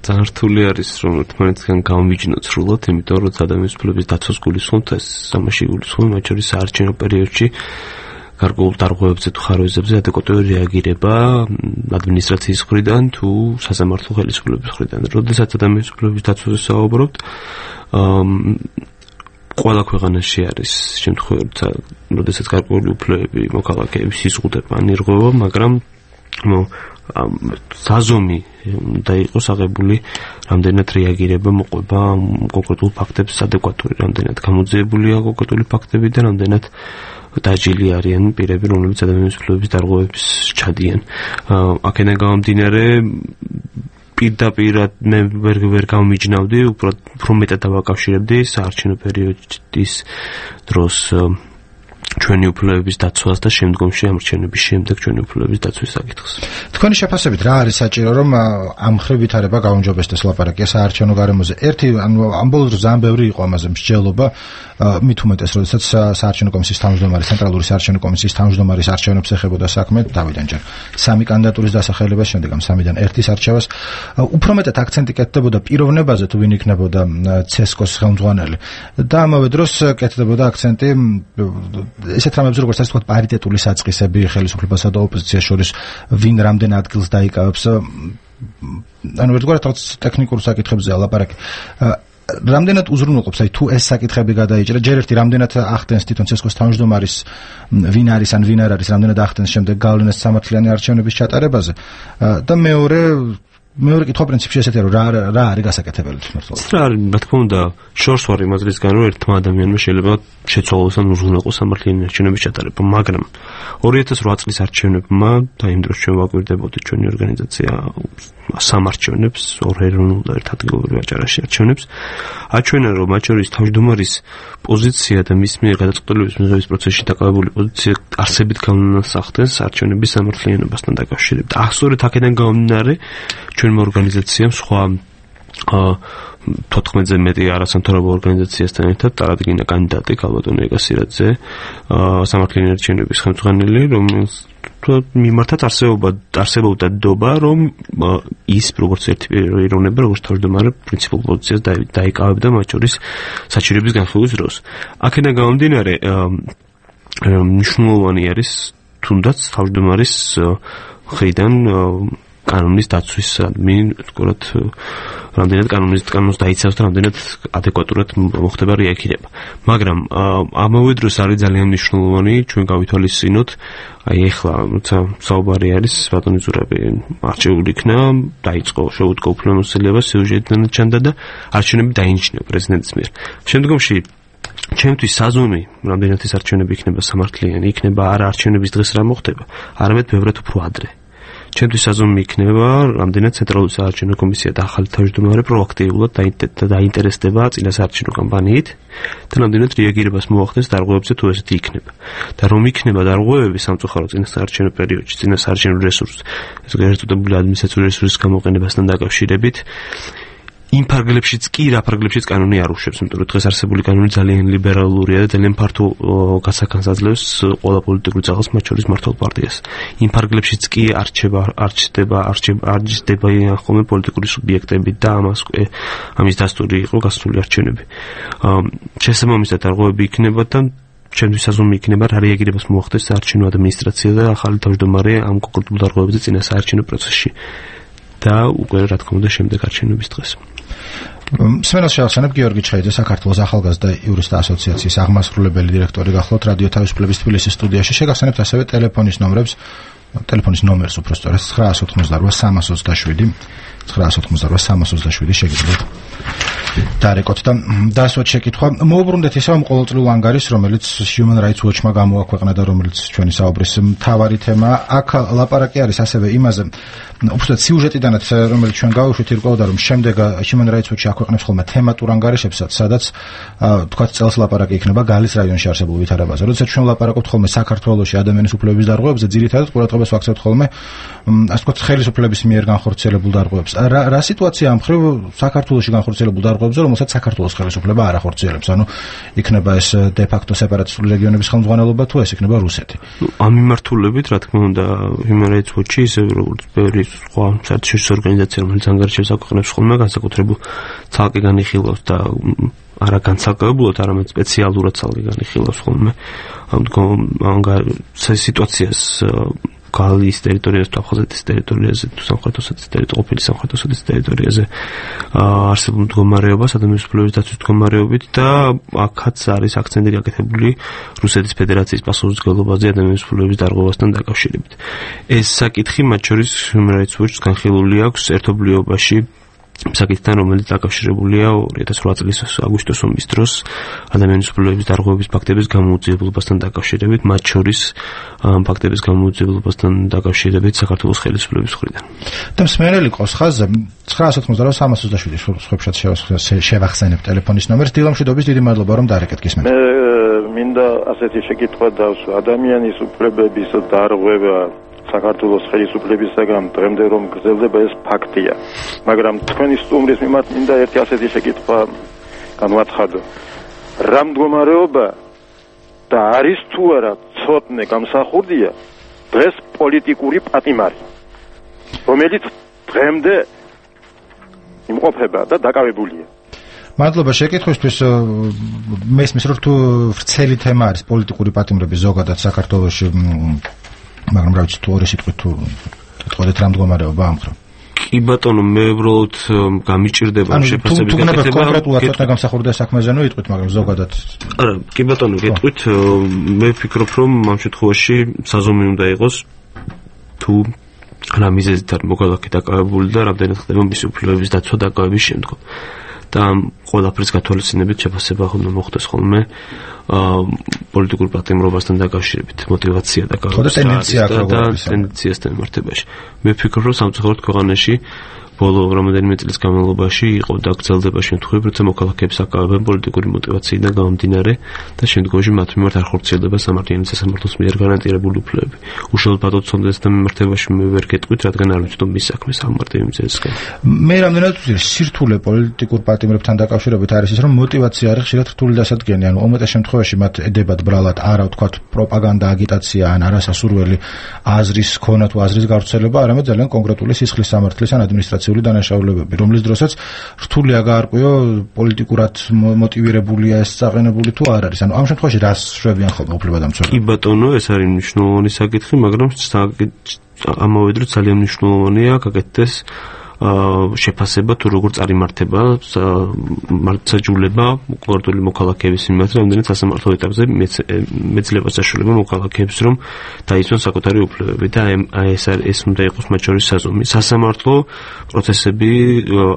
ძალიან რთული არის რომ ერთმანეთთან გამოვიჯინოთ სრულად, იმიტომ რომ ადამიანის უფლებების დაცვას გულისხმობთ, ეს ამაში გულისხმობთ, მათ შორის საარჩევნო პერიოდში გარკვეულ დარღვევებზე თუ ხარვეზებზე ადეკვატური რეაგირება ადმინისტრაციის მხრიდან თუ სასამართლო ხელისუფლების მხრიდან. როდესაც ადამიანის უფლებების დაცვაზე საუბრობთ, ყველა ქვეყანაში არის შემთხვევები, როდესაც გარკვეული უფლებები მოქალაქეების იზღუდება ან ირღვევა, მაგრამ საზომი და იყოს აღებული რამდენად რეაგირება მოყვება კონკრეტულ ფაქტებს ადეკვატური, რამდენად გამოძიებულია კონკრეტული ფაქტები და რამდენად დაჯილი არიან პირები, რომლებიც ადამიანის უფლებების დარღვევებს ჩადიან. აქედან გამომდინარე პირდაპირად მე ვერ ვერ გამიჯნავდი, უფრო მეტად დავაკავშირებდი საარჩევნო პერიოდის დროს ჩვენი უფლებების დაცვას და შემდგომში ამრჩევნების შემდეგ ჩვენი უფლებების დაცვის საკითხს. თქვენი შეფასებით რა არის საჭირო, რომ ამ მხრივ ვითარება გაუმჯობესდეს ლაპარაკია საარჩევნო გარემოზე? ერთი, ანუ ამ ბოლოს ძალიან ბევრი იყო ამაზე მსჯელობა, მით უმეტეს, როდესაც საარჩევნო კომისიის თავმჯდომარე, ცენტრალური საარჩევნო კომისიის თავმჯდომარის არჩევნებს ეხებოდა საქმე, დავიდან ჯერ სამი კანდიდატურის დასახელებას, შემდეგ ამ სამიდან ერთის არჩევას. უფრო მეტად აქცენტი კეთდებოდა პიროვნებაზე, თუ ვინ იქნებოდა ცესკოს ხელმძღვანელი და ამავე დროს კეთდებოდა აქცენტი ესეთ რამებზე, როგორც ასე ვთქვათ, პარიტეტული საწყისები ხელისუფლებასა და ოპოზიციას შორის, ვინ რამდენ ადგილს დაიკავებს. ანუ ერთგვარად რაღაც ტექნიკურ საკითხებზე ლაპარაკი. რამდენად უზრუნველყოფს, აი თუ ეს საკითხები გადაიჭრა, ჯერ ერთი რამდენად ახდენს თვითონ ცესკოს თავმჯდომარის ვინ არის ან ვინ არ არის, რამდენად ახდენს შემდეგ გავლენას სამართლიანი არჩევნების ჩატარებაზე და მეორე მეორე კითხვა პრინციპში ესეთია, რომ რა რა არის გასაკეთებელი თვითმმართველობა. რა არის, რა თქმა უნდა, შორს ვარ იმაზრისგან, რომ ერთმა ადამიანმა შეიძლება შეცვალოს ან უზრუნველყოს სამართლიანი არჩევნების ჩატარება, მაგრამ ორი ათას ოთხ წლის არჩევნებმა და იმ დროს ჩვენ ვაკვირდებოდით ჩვენი ორგანიზაცია სამარჩევნებს, ორ ეროვნულ და ერთ ადგილობრივ აჭარაში არჩევნებს, აჩვენა, რომ მათ შორის თავმჯდომარის პოზიცია და მის მიერ გადაწყვეტილების მიღების პროცესში დაკავებული პოზიცია არსებით გავლენას ახდენს არჩევნების სამართლიანობასთან დაკავშირებით. ახსოვეთ აქედან გამომდინარე ჩვენმა ორგანიზაციამ სხვა თოთხმეტზე მეტი არასამთავრობო ორგანიზაციასთან ერთად წარადგინა კანდიდატი გალბატონი ეგასირაძე სამართლიანი არჩევნების ხელმძღვანელი, რომელიც მიმართაც არსებობა არსებობდა დობა, რომ ის როგორც ერთი პიროვნება, როგორც თავმჯდომარე პრინციპულ პოზიციას დაიკავებდა მათ შორის საჩივრების განხილვის დროს. აქედან გამომდინარე მნიშვნელოვანი არის თუნდაც თავმჯდომარის მხრიდან კანონის დაცვის ადმინ, თქვათ, რამდენად კანონის კანონს დაიცავს და რამდენად ადეკვატურად მოხდება რეაგირება. მაგრამ ამავე დროს არის ძალიან მნიშვნელოვანი ჩვენ გავითვალისწინოთ, აი ეხლა როცა საუბარი არის ბატონი ზურაბი არჩეული იქნა, დაიწყო შეუდგო უფლებამოსილება, სიუჟეტიდან ჩანდა და არჩევნები დაინიშნა პრეზიდენტის მიერ. შემდგომში ჩემთვის საზომი, რამდენად ეს არჩევნები იქნება სამართლიანი, იქნება არა არჩევნების დღეს რა მოხდება, არამედ ბევრად უფრო ადრე. ჩემთვის საზომი იქნება, რამდენად ცენტრალური საარჩევნო კომისია და ახალი თავმჯდომარე პროაქტიულად დაინტერესდება წინა საარჩევნო კამპანიით და რამდენად რეაგირებას მოახდენს დარღვევებზე თუ ესეთი იქნება. და რომ იქნება დარღვევები სამწუხაროდ წინა საარჩევნო პერიოდში, წინა საარჩევნო რესურსს, ეს გაერთიანებული ადმინისტრაციული რესურსის გამოყენებასთან დაკავშირებით, იმ ფარგლებშიც კი რა ფარგლებშიც კანონი არ უშვებს, იმიტომ რომ დღეს არსებული კანონი ძალიან ლიბერალურია და ძალიან ფართო გასახანს აძლევს ყველა პოლიტიკურ ძალას, მათ შორის მართლ პარტიას. იმ ფარგლებშიც კი არჩება, არჩდება, არჩდება ხოლმე პოლიტიკური სუბიექტები და ამას ამის დასტური იყო გასული არჩევნები. შესაბამისად დარღვევები იქნება და ჩემთვის საზომი იქნება რა რეაგირებას მოახდენს საარჩევნო ადმინისტრაცია და ახალი თავმჯდომარე ამ კონკრეტულ დარღვევებზე წინა საარჩევნო პროცესში. და უკვე რა თქმა უნდა შემდეგ არჩევნების დღეს. სმენელს შევახსენებ გიორგი ჩხეიძე, საქართველოს ახალგაზრდა იურისტთა ასოციაციის აღმასრულებელი დირექტორი გახლავთ რადიო თავისუფლების თბილისის სტუდიაში. შეგახსენებთ ასევე ტელეფონის ნომრებს, ტელეფონის ნომერს უფრო სწორედ ცხრა ოცდაოთხმოცდაოთხ სამას ოცდაშვიდი ცხრა ოცდაოთხმოცდაოთხ სამას ოცდაშვიდი შეგიძლიათ დარეკოთ და დასვათ შეკითხვა. მოუბრუნდეთ ისევ ამ ყოველწლიურ ანგარიშს, რომელიც Human Rights Watch-მა გამოაქვეყნა და რომელიც ჩვენი საუბრის მთავარი თემაა. აქ ლაპარაკი არის ასევე იმაზე, უბრალოდ სიუჟეტიდანაც, რომელიც ჩვენ გავუშვით, ირკვეოდა, რომ შემდეგ Human Rights Watch-ი აქვეყნებს ხოლმე თემატურ ანგარიშებსაც, სადაც თქვათ წელს ლაპარაკი იქნება გალის რაიონში არსებულ ვითარებაზე. როდესაც ჩვენ ლაპარაკობთ ხოლმე საქართველოში ადამიანის უფლებების დარღვევებზე, ძირითადად ყურადღებას ვაქცევთ ხოლმე ასე ვთქვათ ხელისუფლების მიერ განხორციელებულ დარღვევებს. რა რა სიტუაცია ამ მხრივ საქართველოში განხორციელებულ დარღვევებზე, რომელსაც საქართველოს ხელისუფლება არ ახორციელებს? ანუ იქნება ეს de facto სეპარატისტული რეგიონების ხელმძღვანელობა თუ ეს იქნება რუსეთი? ამ მიმართულებით, რა თქმა უნდა, Human Rights Watch-ი ისე როგორც ბევრი სხვა საერთაშორისო ორგანიზაცია, რომელიც ანგარიშებს აქვეყნებს ხოლმე, განსაკუთრებულ ცალკე განიხილავს და არა განსაკუთრებულად, არამედ სპეციალურად ცალკე განიხილავს ხოლმე ამ სიტუაციას გალის ტერიტორიაზე, აფხაზეთის ტერიტორიაზე, თუ სამხრეთ ოსეთის ტერიტორიაზე, ყოფილი სამხრეთ ოსეთის ტერიტორიაზე არსებულ მდგომარეობას, ადამიანის უფლებების დაცვის მდგომარეობით და აქაც არის აქცენტი გაკეთებული რუსეთის ფედერაციის პასუხისმგებლობაზე ადამიანის უფლებების დარღვევასთან დაკავშირებით. ეს საკითხი მათ შორის Human Rights Watch-ს განხილული აქვს ერთობლიობაში საკითხთან, რომელიც დაკავშირებულია ორი ათას ოთხ წლის აგვისტოს ომის დროს ადამიანის უფლებების დარღვევების ფაქტების გამოუძიებლობასთან დაკავშირებით, მათ შორის ამ ფაქტების გამოუძიებლობასთან დაკავშირებით საქართველოს ხელისუფლების მხრიდან. და მსმენელი ყავს ხაზზე ცხრაას ოთხმოცდაოთხ სამას ოცდაშვიდი სხვებშად შევახსენებ ტელეფონის ნომერს. დილამშვიდობის დიდი მადლობა რომ დაარეკეთ გისმენთ. მე მინდა ასეთი შეკითხვა დავსვა. ადამიანის უფლებების დარღვევა საქართველოს ხელისუფლებისაგან დღემდე რომ გრძელდება ეს ფაქტია. მაგრამ თქვენი სტუმრის მიმართ მინდა ერთი ასეთი შეკითხვა განვაცხადო. რა მდგომარეობა და არის თუ არა ცოტნე გამსახურდია დღეს პოლიტიკური პატიმარი, რომელიც დღემდე იმყოფება და დაკავებულია. მადლობა შეკითხვისთვის. მესმის რომ თუ ვრცელი თემა არის პოლიტიკური პატიმრების ზოგადად საქართველოში, მაგრამ რა ვიცი თუ ორი სიტყვით თუ თქვით რა მდგომარეობა ამ ხრო. კი ბატონო, მე უბრალოდ გამიჭირდება შეფასების გაკეთება. კონკრეტულად ცოტა გამსახურდა საქმეზე ნუ იტყვით, მაგრამ ზოგადად. არა, კი ბატონო, გეტყვით, მე ვფიქრობ, რომ ამ შემთხვევაში საზომი უნდა იყოს თუ რა მიზეზით არის მოქალაქე დაკავებული და რამდენად ხდება მისი უფლებების დაცვა დაკავების შემდგომ. და ყველაფერს გათვალისწინებით შეფასება უნდა მოხდეს ხოლმე პოლიტიკურ პატიმრობასთან დაკავშირებით, мотивация დაკავშირებით და ტენდენციასთან მიმართებაში. მე ვფიქრობ, რომ სამწუხაროდ ქვეყანაში ბოლო რამდენიმე წლის განმავლობაში იყო და გრძელდება შემთხვევები, როცა მოქალაქეებს აკავებენ პოლიტიკური мотивაციიდან გამომდინარე და შემდგომში მათ მიმართ არ ხორციელდება სამართლიანი სასამართლოს მიერ გარანტირებული უფლებები. უშუალოდ ბატონ ცონდესთან მიმართებაში მე ვერ გეტყვით, რადგან არ ვიცით მის საქმეს ამ მარტივი მიზეზისგან. მე რამდენად ვთვლი, სირთულე პოლიტიკურ პატიმრებთან დაკავშირებით არის ის, რომ мотивация არის ხშირად რთული დასადგენი, ანუ უმეტეს შემთხვევაში მათ ედებათ ბრალად არა ვთქვათ პროპაგანდა, აგიტაცია ან არასასურველი აზრის ქონა თუ აზრის გავრცელება, არამედ ძალიან კონკრეტული სისხლის სამართლის ან ადმინისტრაციული დანაშაულებები, რომლის დროსაც რთულია გაარკვიო პოლიტიკურად მოტივირებულია ეს წაყენებული თუ არ არის. ანუ ამ შემთხვევაში რას შვებიან ხოლმე უფლებადამცველები? კი ბატონო, ეს არის მნიშვნელოვანი საკითხი, მაგრამ ამავე დროს ძალიან მნიშვნელოვანია გაკეთდეს შეფასება თუ როგორ წარიმართება მართლმსაჯულება კონკრეტული მოქალაქეების მიმართ, რამდენად სასამართლო ეტაპზე მეძლევა საშუალება მოქალაქეებს რომ დაიცვან საკუთარი უფლებები და ეს ეს უნდა იყოს მათ შორის საზომი. სასამართლო პროცესები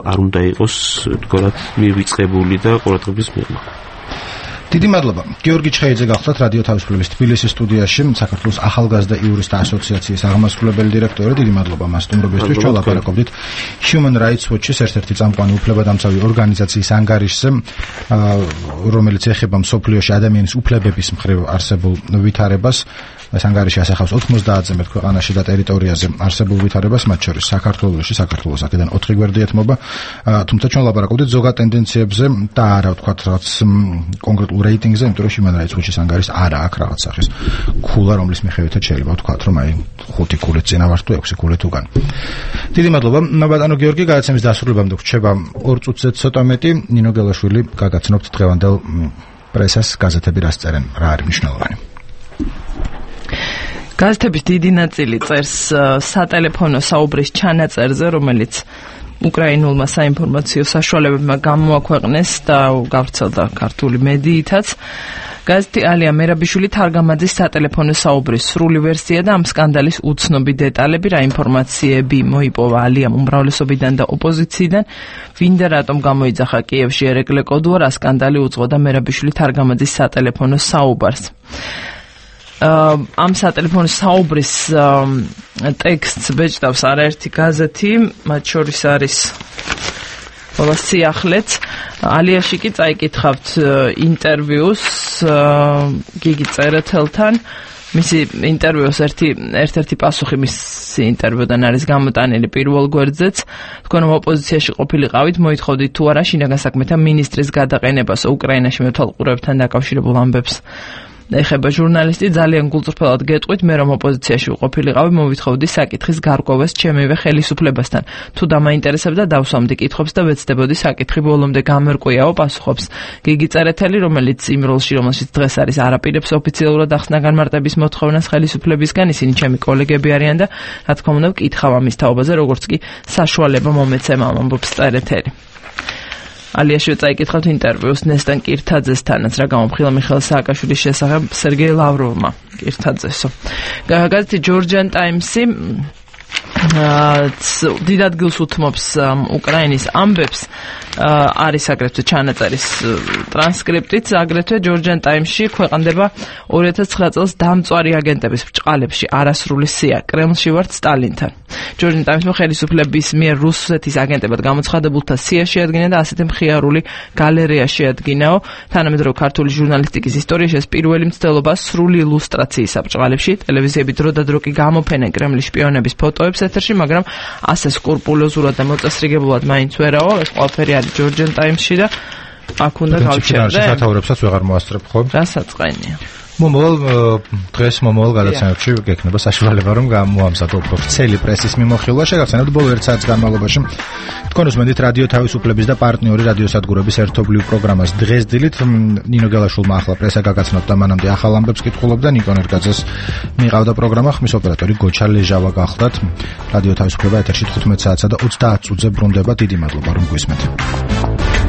არ უნდა იყოს თქვათ მივიწყებული და ყურადღების მიღება. დიდი მადლობა. გიორგი ჩხეიძე გახლავთ რადიო თავისუფლების თბილისის სტუდიაში, საქართველოს ახალგაზრდა იურისტთა ასოციაციის აღმასრულებელი დირექტორი. დიდი მადლობა მას სტუმრობისთვის. ჩვენ ლაპარაკობდით Human Rights Watch-ის ერთ-ერთი წამყვანი უფლებადამცავი ორგანიზაციის ანგარიშზე, რომელიც ეხება მსოფლიოში ადამიანის უფლებების მხრივ არსებულ ვითარებას. ეს ანგარიში ასახავს ოცდაათზე მეტ ქვეყანაში და ტერიტორიაზე არსებულ ვითარებას, მათ შორის საქართველოში, საქართველოს აქედან ოთხი გვერდი ეთმობა. თუმცა ჩვენ ლაპარაკობდით ზოგად ტენდენციებზე და არა ვთქვათ რაღაც კონკრეტულ რეიტინგზე, იმიტომ რომ Human Rights Watch-ის ანგარიშს არა აქვს რაღაც სახის ქულა, რომლის მიხედვითაც შეიძლება ვთქვათ, რომ აი ხუთი ქულით წინა ვარ თუ ექვსი ქულით უკან. დიდი მადლობა. ბატონო გიორგი, გადაცემის დასრულებამდე გვჩება ორ წუთზე ცოტა მეტი. ნინო გელაშვილი გაგაცნობთ დღევანდელ პრესას, გაზეთები რას წერენ, რა არის მნიშვნელოვანი. გაზეთების დიდი ნაწილი წერს სატელეფონო საუბრის ჩანაწერზე, რომელიც უკრაინულმა საინფორმაციო საშუალებებმა გამოაქვეყნეს და გავრცელდა ქართული მედიითაც. გაზეთი ალია მერაბიშვილი თარგამაძის სატელეფონო საუბრის სრული ვერსია და ამ სკანდალის უცნობი დეტალები, რა ინფორმაციები მოიპოვა ალიამ უმრავლესობიდან და ოპოზიციიდან, ვინდა რატომ გამოიძახა კიევში ერეკლე კოდუა, რა სკანდალი უძღოდა მერაბიშვილი თარგამაძის სატელეფონო საუბარს. ამ სატელეფონო საუბრის ტექსტს ბეჭდავს არაერთი გაზეთი, მათ შორის არის სიახლეც. ალიაში კი წაიკითხავთ ინტერვიუს გიგი წერეთელთან. მისი ინტერვიუს ერთი ერთ-ერთი პასუხი მისი ინტერვიუდან არის გამოტანილი პირველ გვერდზეც. თქვენ ოპოზიციაში ყოფილიყავით, მოითხოვდით თუ არა შინაგან საქმეთა მინისტრის გადაყენებას უკრაინაში მეთვალყურებებთან დაკავშირებულ ამბებს ეხება ჟურნალისტი, ძალიან გულწრფელად გეტყვით, მე რომ ოპოზიციაში ვყოფილიყავი, მოვითხოვდი საკითხის გარკვევას ჩემივე ხელისუფლებასთან. თუ დამაინტერესებდა, დავსვამდი კითხვებს და ვეცდებოდი საკითხი ბოლომდე გამერკვიაო პასუხობს. გიგი წერეთელი, რომელიც იმ როლში, რომელშიც დღეს არის, არაპირებს ოფიციალურად ახსნა განმარტების მოთხოვნას ხელისუფლებისგან, ისინი ჩემი კოლეგები არიან და რა თქმა უნდა ვკითხავ ამის თაობაზე, როგორც კი საშუალება მომეცემა, ამბობს წერეთელი. ალიაში წაიკითხავთ ინტერვიუს ნესტან კირთაძესთანაც, რა გამოფხილა მიხეილ სააკაშვილის შესახებ სერგეი ლავროვმა კირთაძესო. გაზეთი ჯორჯიან ტაიმსი დიდ ადგილს უთმობს უკრაინის ამბებს, არის აგრეთვე ჩანაწერის ტრანსკრიპტიც, აგრეთვე ჯორჯიან ტაიმსში ქვეყანდება ორი ათას ცხრა წელს დამწვარი აგენტების ბრჭყალებში არასრული სია, კრემლში ვართ სტალინთან. ჯორჯიან ტაიმსმა ხელისუფლების მიერ რუსეთის აგენტებად გამოცხადებულთა სია შეადგინა და ასეთი მხიარული გალერეა შეადგინაო. თანამედროვე ქართული ჟურნალისტიკის ისტორიაში ეს პირველი მცდელობა სრული ილუსტრაციისა ბრჭყალებში, ტელევიზიები დროდადრო კი გამოფენენ კრემლის შპიონების ფოტოებს ეთერში, მაგრამ ასე სკრუპულოზურად და მოწესრიგებლად მაინც ვერაო, ეს ყველაფერი არის ჯორჯიან ტაიმსში და აქ უნდა გავჩერდე. სათაურებსაც ვეღარ მოასწრებ ხო? გასაწყენია. მომავალ დღეს მომავალ გადაცემებში გექნება საშუალება რომ გამოამზადო უფრო ვრცელი პრესის მიმოხილვა, შეგახსენებთ ბოლო ერთ საათის განმავლობაში თქვენ უსმენთ რადიო თავისუფლების და პარტნიორი რადიოსადგურების ერთობლივ პროგრამას დღეს დილით. ნინო გელაშვილმა ახლა პრესა გაგაცნოთ და მანამდე ახალ ამბებს კითხულობდა. ნიკო ნერგაძეს მიყავდა პროგრამა, ხმის ოპერატორი გოჩა ლეჟავა გახლდათ. რადიო თავისუფლება ეთერში თხუთმეტ საათსა და ოცდაათ წუთზე ბრუნდება. დიდი მადლობა რომ გვისმენთ.